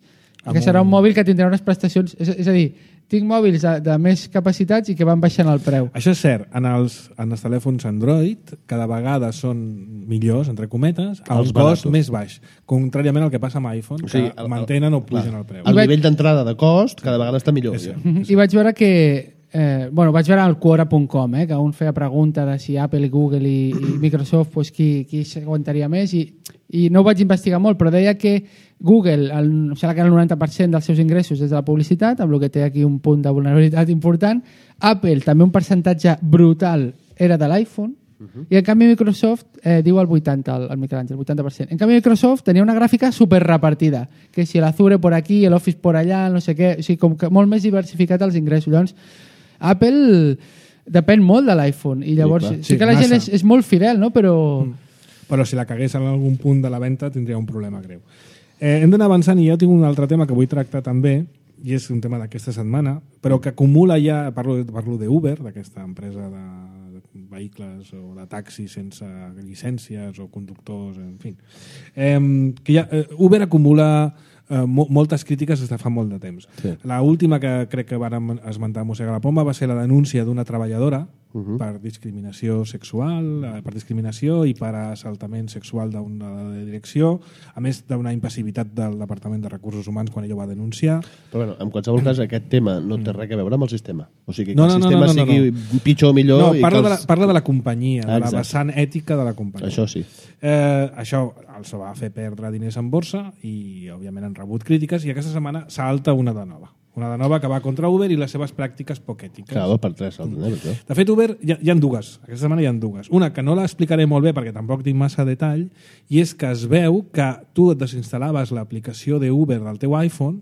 que serà un mòbil que tindrà unes prestacions... És a dir, tinc mòbils de més capacitats i que van baixant el preu. Això és cert, en els telèfons Android cada vegada són millors, entre cometes, al cost més baix, contràriament al que passa amb iPhone, que mantenen o pugen el preu. El nivell d'entrada de cost cada vegada està millor. I vaig veure que vaig veure al Quora.com, que un feia pregunta de si Apple, Google i Microsoft qui s'aguantaria més i no ho vaig investigar molt, però deia que Google, em sembla que era el 90% dels seus ingressos és de la publicitat, amb el que té aquí un punt de vulnerabilitat important. Apple, també un percentatge brutal, era de l'iPhone, i en canvi Microsoft diu el 80%, el Miquel Àngel, el 80%. En canvi Microsoft tenia una gràfica super repartida, que si l'Azure por aquí, l'Office por allà, no sé què, o sigui, com que molt més diversificat els ingressos. Llavors, Apple depèn molt de l'iPhone i llavors sí que la gent és molt fidel, no? Però si la cagués en algun punt de la venda tindria un problema greu. Hem d'anar avançant i jo tinc un altre tema que vull tractar també, i és un tema d'aquesta setmana, però que acumula ja, parlo d'Uber, d'aquesta empresa de vehicles o de taxis sense llicències o conductors, en fi. Uber acumula moltes crítiques des de fa molt de temps. Sí. L'última que crec que vàrem esmentar a Mossega la Poma va ser la denúncia d'una treballadora per discriminació sexual, per discriminació i per assaltament sexual d'una direcció, a més d'una impassivitat del Departament de Recursos Humans quan ella ho va denunciar. Però bueno, en qualsevol cas aquest tema no té res a veure amb el sistema. O sigui, que el sistema sigui pitjor o millor... No, parla de la companyia, de la vessant ètica de la companyia. Això sí. Això els va fer perdre diners en borsa i, òbviament, han rebut crítiques i aquesta setmana salta una de nova. Una de nova que va contra Uber i les seves pràctiques poc ètiques. Clar, per tres salten, De fet, Uber hi ha dues. Aquesta setmana hi ha dues. Una que no l'explicaré molt bé perquè tampoc tinc massa detall, i és que es veu que tu et desinstal·laves l'aplicació d'Uber del teu iPhone,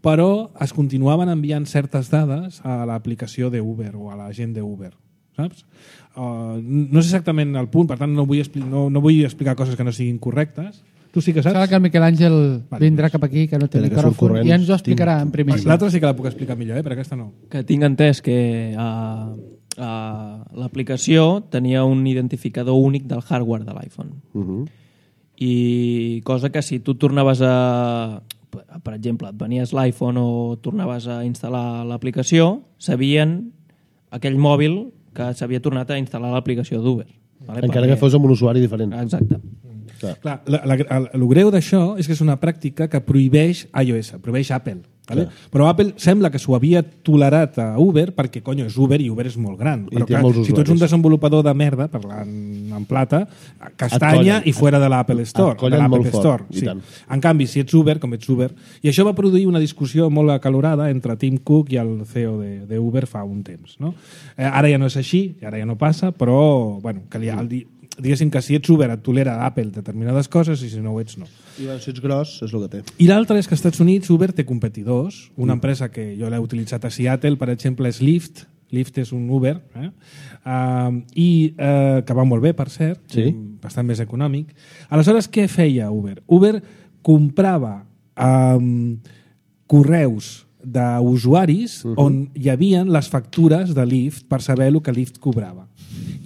però es continuaven enviant certes dades a l'aplicació d'Uber o a la gent d'Uber. Saps? No és exactament el punt, per tant no vull explicar coses que no siguin correctes. Tu sí que saps? Sembla que el Miquel Àngel vindrà cap aquí, que no té micròfon, i ens ho explicarà en primícia. L'altra sí que la puc explicar millor, però aquesta no. Que tinc entès que l'aplicació tenia un identificador únic del hardware de l'iPhone. I cosa que si tu tornaves per exemple, et venies l'iPhone o tornaves a instal·lar l'aplicació, sabien aquell mòbil que s'havia tornat a instal·lar l'aplicació d'Uber. Encara que fos amb un usuari diferent. Exacte. Clar, el greu d'això és que és una pràctica que prohibeix iOS, prohibeix Apple. Vale? Però Apple sembla que s'ho havia tolerat a Uber perquè, és Uber i Uber és molt gran. Però clar, si tu ets un desenvolupador de merda, parlant en plata, castanya i fora de l'Apple Store. De l'Apple Store. Sí. En canvi, si ets Uber, com ets Uber... I això va produir una discussió molt acalorada entre Tim Cook i el CEO d'Uber fa un temps. No? Ara ja no és així, ara ja no passa, però que diguéssim que si ets Uber et tolera Apple determinades coses i si no ho ets no. I si ets gros és el que té. I l'altre és que als Estats Units Uber té competidors. Una empresa que jo l'he utilitzat a Seattle, per exemple, és Lyft. Lyft és un Uber que va molt bé, per cert, bastant més econòmic. Aleshores, què feia Uber? Uber comprava correus d'usuaris on hi havia les factures de Lyft per saber el que Lyft cobrava.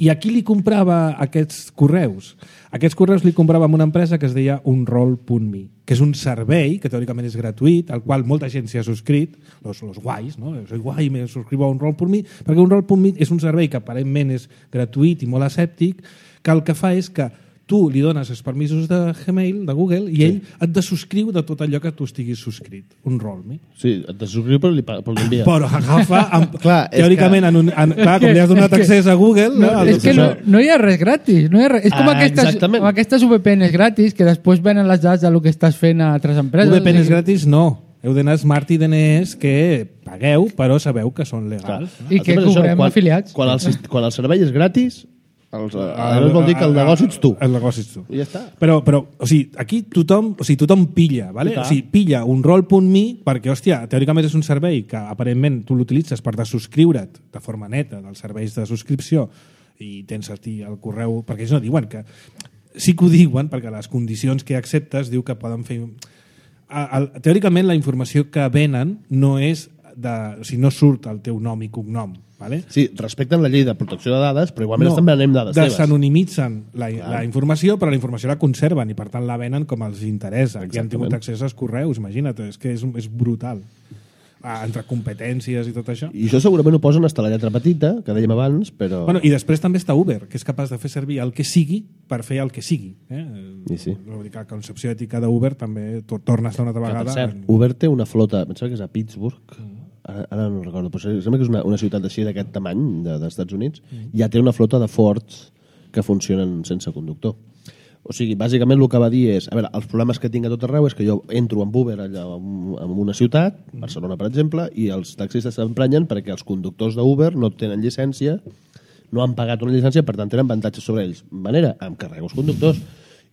I a qui li comprava aquests correus? Aquests correus li comprava amb una empresa que es deia Unroll.me, que és un servei que teòricament és gratuït, al qual molta gent s'hi ha subscrit, los guais, no? Soy guai, me subscribo a Unroll.me, perquè Unroll.me és un servei que aparentment és gratuït i molt escèptic, que el que fa és que tu li dones els permisos de Gmail, de Google, i ell et desubscriu de tot allò que tu estiguis subscrit. Un ROLME. Sí, et desubscriu però l'envia. Però agafa, Clar, és teòricament, clar, com li has donat accés a Google... És que no hi ha res gratis. No hi ha res. És com aquestes VPNs gratis que després venen les dades del que estàs fent a altres empreses. VPNs gratis no. Heu d'anar Smart i DNS que pagueu, però sabeu que són legals. I que cobrem afiliats. Quan el servei és gratis, vol dir que el negoci ets tu. El negoci ets tu. I ja està. Però o sigui, aquí tothom pilla, ¿vale? O sigui, pilla un roll.me perquè, hòstia, teòricament és un servei que aparentment tu l'utilitzes per desubscriure't de forma neta dels serveis de subscripció i tens aquí el correu, perquè ells no diuen que... Sí que ho diuen, perquè les condicions que acceptes diu que poden fer... Teòricament la informació que venen no és no surt el teu nom i cognom, ¿vale? Sí, respecten la llei de protecció de dades, però igualment estan venent dades teves. Desanonimitzen la informació, però la informació la conserven i per tant la venen com els interessa. Qui han tingut accés als correus, imagina't, és que és brutal. Entre competències i tot això. I això segurament ho posen hasta la lletra petita, que dèiem abans, però... Bueno, i després també està Uber, que és capaç de fer servir el que sigui per fer el que sigui. I sí. La concepció ètica d'Uber també torna a estar una altra vegada... Per cert, Uber té una flota, em sembla que és a Pittsburgh, ara no recordo, però sembla que és una ciutat així d'aquest tamany, dels Estats Units, ja té una flota de Fords que funcionen sense conductor. O sigui, bàsicament el que va dir és, a veure, els problemes que tinc a tot arreu és que jo entro amb Uber allà en una ciutat, Barcelona per exemple, i els taxistes s'emprenyen perquè els conductors d'Uber no tenen llicència, no han pagat una llicència, per tant tenen avantatges sobre ells. Manera, em carrego els conductors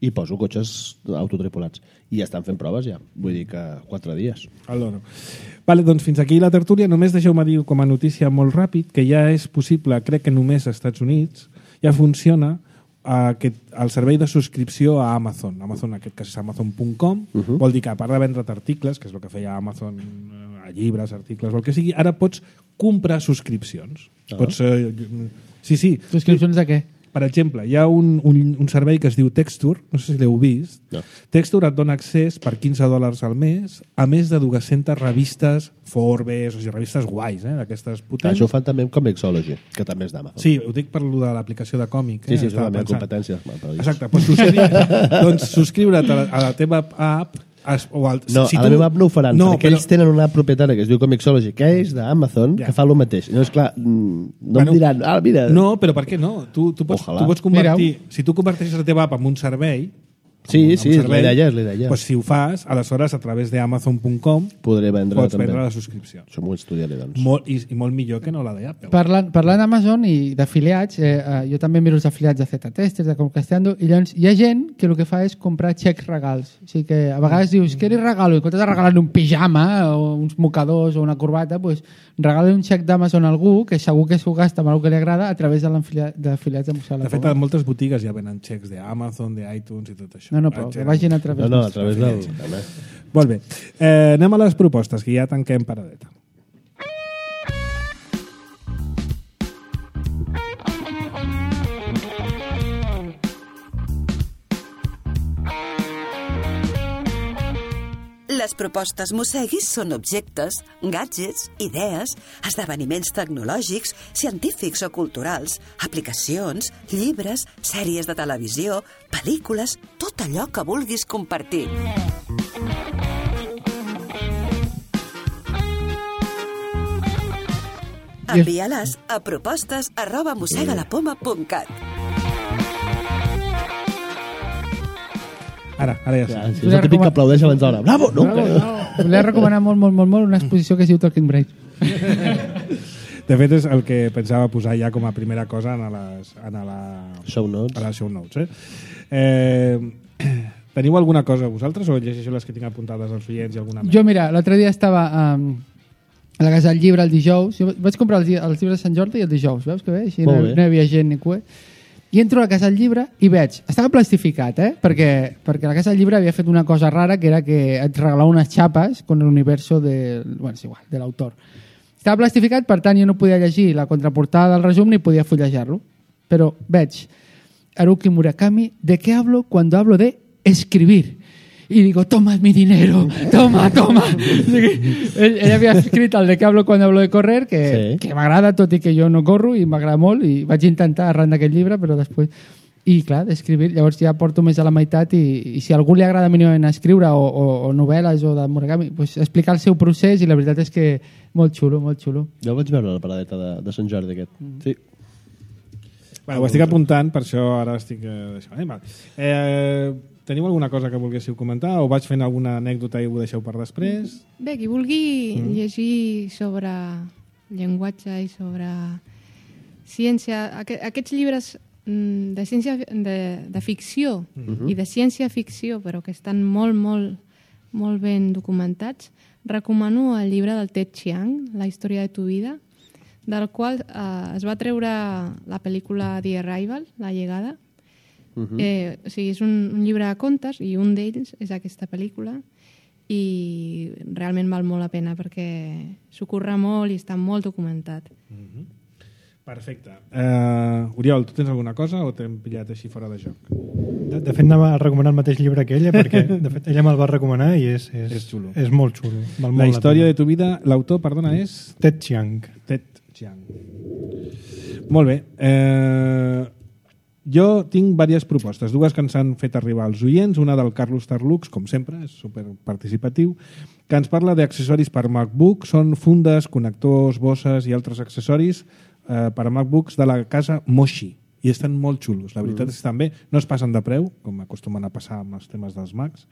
i poso cotxes autotripulats. I ja estan fent proves ja, vull dir que 4 dies. Vale, doncs fins aquí la tertúlia. Només deixeu-me dir com a notícia molt ràpid que ja és possible, crec que només als Estats Units, ja funciona el servei de subscripció a Amazon. Amazon, en aquest cas és Amazon.com, vol dir que a part de vendre't articles, que és el que feia Amazon, a llibres, articles, o el que sigui, ara pots comprar subscripcions. Pots, sí. Subscripcions de què? Per exemple, hi ha un servei que es diu Texture, no sé si l'heu vist. No. Texture et dona accés per $15 al mes a més de 200 revistes Forbes, o sigui, revistes guais, d'aquestes potents. Això ho fan també amb Comixology, que també és d'Amazon. Sí, ho dic per lo de l'aplicació de còmic. Sí, això també és competència. Exacte, doncs subscriure't a la teva app. A la meva app no ho faran, perquè ells tenen una app propietària que es diu Comixology, que és d'Amazon, que fa el mateix. No, és clar, no em diran, mira... No, però per què no? Tu pots convertir... Si tu converteixes la teva app en un servei... Sí, és l'idea. Doncs si ho fas, aleshores, a través d'Amazon.com pots vendre la subscripció. Això m'ho estudiaré, doncs. I molt millor que no la d'Apple. Parlant d'Amazon i d'afiliats, jo també miro els afiliats de Z-Testers, de Comcasteando, i llavors hi ha gent que el que fa és comprar xecs regals. O sigui que a vegades dius, què li regalo? I en comptes de regalar un pijama o uns mocadors o una corbata, doncs regala un xec d'Amazon a algú que segur que s'ho gasta amb el que li agrada a través d'afiliats de Museu. De fet, a moltes botigues ja venen xecs d'Amazon, d'iTunes i tot això. No, però que vagin a través a través del... Molt bé. Anem a les propostes, que ja tanquem paradeta. Les propostes Mosseguis són objectes, gadgets, idees, esdeveniments tecnològics, científics o culturals, aplicacions, llibres, sèries de televisió, pel·lícules, tot allò que vulguis compartir. Envia-les a propostes@mossegalapoma.cat. Ara ja sí. És el típic que aplaudeix abans d'hora. Bravo! No. Volia recomanar molt una exposició que es diu Talking Brains. De fet, és el que pensava posar ja com a primera cosa a la show notes. A les show notes. Teniu alguna cosa vosaltres o llegeixo les que tinc apuntades als oients i alguna més? Jo, mira, l'altre dia estava a la Casa del Llibre el dijous. Jo vaig comprar els llibres de Sant Jordi i el dijous. Veus que bé? Així no hi havia gent ni cue. I entro a la Casa del Llibre i veig... Estava plastificat, perquè la Casa del Llibre havia fet una cosa rara, que era que et regalava unes xapes con el universo de l'autor. Estava plastificat, per tant, jo no podia llegir la contraportada del resum ni podia fullejar-lo. Però veig Haruki Murakami, ¿de qué hablo cuando hablo de escribir? Y digo, toma mi dinero, toma. Ell havia escrit el de què hablo quan hablo de correr, que m'agrada, tot i que jo no corro, i m'agrada molt, i vaig intentar arran d'aquest llibre, però després... I, clar, d'escriure. Llavors ja porto més a la meitat i si a algú li agrada mínimament escriure o novel·les o de Murakami, pues, explicar el seu procés i la veritat és que molt xulo, molt xulo. Jo el vaig veure a la paradeta de Sant Jordi aquest. Sí. Bueno, ho estic apuntant, per això ara estic... Teniu alguna cosa que volguéssiu comentar o vaig fent alguna anècdota i ho deixeu per després? Bé, qui vulgui llegir sobre llenguatge i sobre ciència, aquests llibres de ciència de ficció i de ciència-ficció, però que estan molt, molt, molt ben documentats, recomano el llibre del Ted Chiang, La història de tu vida, del qual es va treure la pel·lícula The Arrival, La llegada. O sigui, és un llibre de contes i un d'ells és aquesta pel·lícula i realment val molt la pena perquè s'ho curra molt i està molt documentat. Perfecte. Oriol, tu tens alguna cosa o t'hem pillat així fora de joc? De fet, anava a recomanar el mateix llibre que ella, perquè de fet ella me'l va recomanar i és xulo. És molt xulo. Val La molt història pena. de tu vida, l'autor, perdona, és... Ted Chiang. Ted Chiang. Molt bé. Jo tinc diverses propostes, dues que ens han fet arribar als oients, una del Carlos Tarlux, com sempre, és superparticipatiu, que ens parla d'accessoris per MacBook, són fundes, connectors, bosses i altres accessoris per a MacBooks de la casa Moshi, i estan molt xulos, la veritat és que estan bé, no es passen de preu, com acostumen a passar amb els temes dels Macs,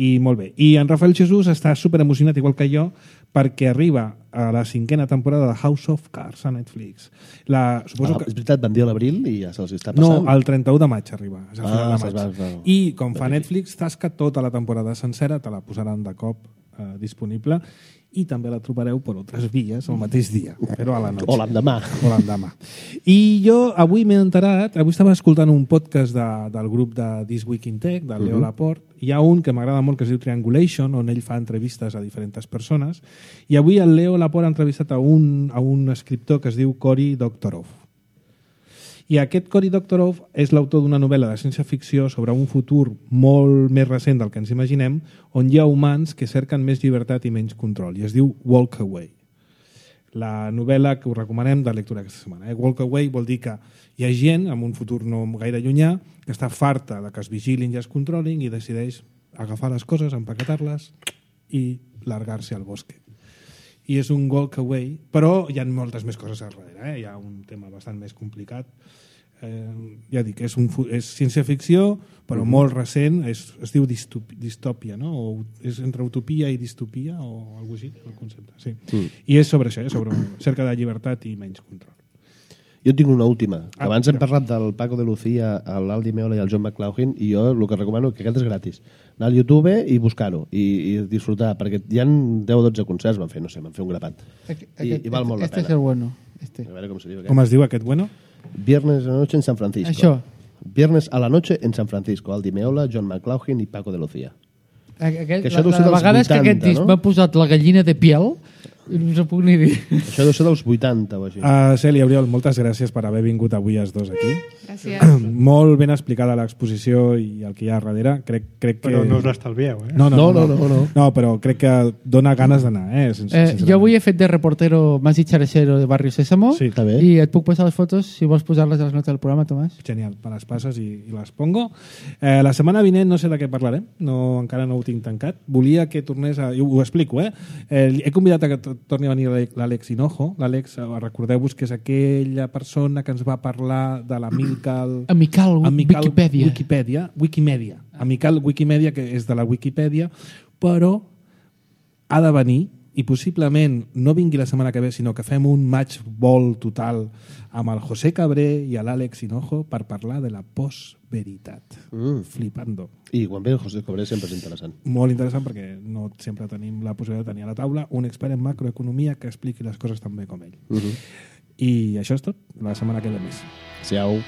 i molt bé. I en Rafael Jesús està super emocionat, igual que jo, perquè arriba a la 5ª temporada de House of Cards a Netflix. Suposo que... És veritat, van dir a l'abril i ja se'ls està passant. No, el 31 de maig arriba. És a final de maig. va. I com fa Netflix, tasca tota la temporada sencera, te la posaran de cop disponible i també la trobareu per altres vies el mateix dia, però a la noche. O l'endemà. I jo avui m'he enterat, avui estava escoltant un podcast del grup de This Week in Tech, del Leo Laporte. Hi ha un que m'agrada molt que es diu Triangulation, on ell fa entrevistes a diferents persones, i avui el Leo Laporte ha entrevistat a un escriptor que es diu Cory Doctorow. I aquest Cory Doctorow és l'autor d'una novel·la de ciència-ficció sobre un futur molt més recent del que ens imaginem, on hi ha humans que cerquen més llibertat i menys control, i es diu Walk Away. La novel·la que us recomanem de lectura aquesta setmana. Walk Away vol dir que hi ha gent, en un futur no gaire llunyà, que està farta de que es vigilin i es controlin i decideix agafar les coses, empaquetar-les i largar-se al bosque. I és un walk away, però hi ha moltes més coses a darrere. Hi ha un tema bastant més complicat. Ja dic, és ciència-ficció, però molt recent, es diu distòpia, no? O és entre utopia i distopia, o alguna cosa així, el concepte. Sí. I és sobre això, sobre cerca de llibertat i menys control. Jo tinc una última. Abans hem parlat del Paco de Lucía, l'Aldi Meola i el John McLaughlin, i jo el que recomano, que aquest és gratis, anar al YouTube i buscar-ho i disfrutar, perquè hi ha 10 o 12 concerts, van fer un grapat. I val molt la pena. Este és el bueno. A veure com se diu aquest. Com es diu aquest bueno? Viernes a la noche en San Francisco. Això. Viernes a la noche en San Francisco. Aldi Meola, John McLaughlin i Paco de Lucía. La vegada és que aquest disc m'ha posat la gallina de piel i no us ho puc ni dir. Això deu ser dels 80 o així. Cèlia, Oriol, moltes gràcies per haver vingut avui els dos aquí. Gràcies. Molt ben explicada l'exposició i el que hi ha darrere. Crec que... Però no us l'estalvieu, eh? No, però crec que dona ganes d'anar. Jo avui he fet de reportero más dicharachero de Barrio Sésamo sí, i et puc passar les fotos si vols posar-les a les notes del programa, Tomàs. Genial, me les passes i les pongo. La setmana vinent no sé de què parlarem, encara no ho tinc tancat. Volia que tornés a... Ho explico, he convidat a que torni a venir l'Àlex Hinojo. L'Àlex, recordeu-vos que és aquella persona que ens va parlar de l'Amical Wikimedia. Amical Wikimedia, que és de la Wikipedia, però ha de venir i possiblement no vingui la setmana que ve, sinó que fem un match ball total amb el José Cabré i l'Àlex Hinojo per parlar de la postveritat. Flipando. I quan ve el José Cabré sempre és interessant. Molt interessant perquè no sempre tenim la possibilitat de tenir a la taula un expert en macroeconomia que expliqui les coses tan bé com ell. I això és tot. La setmana que ve més. Siau.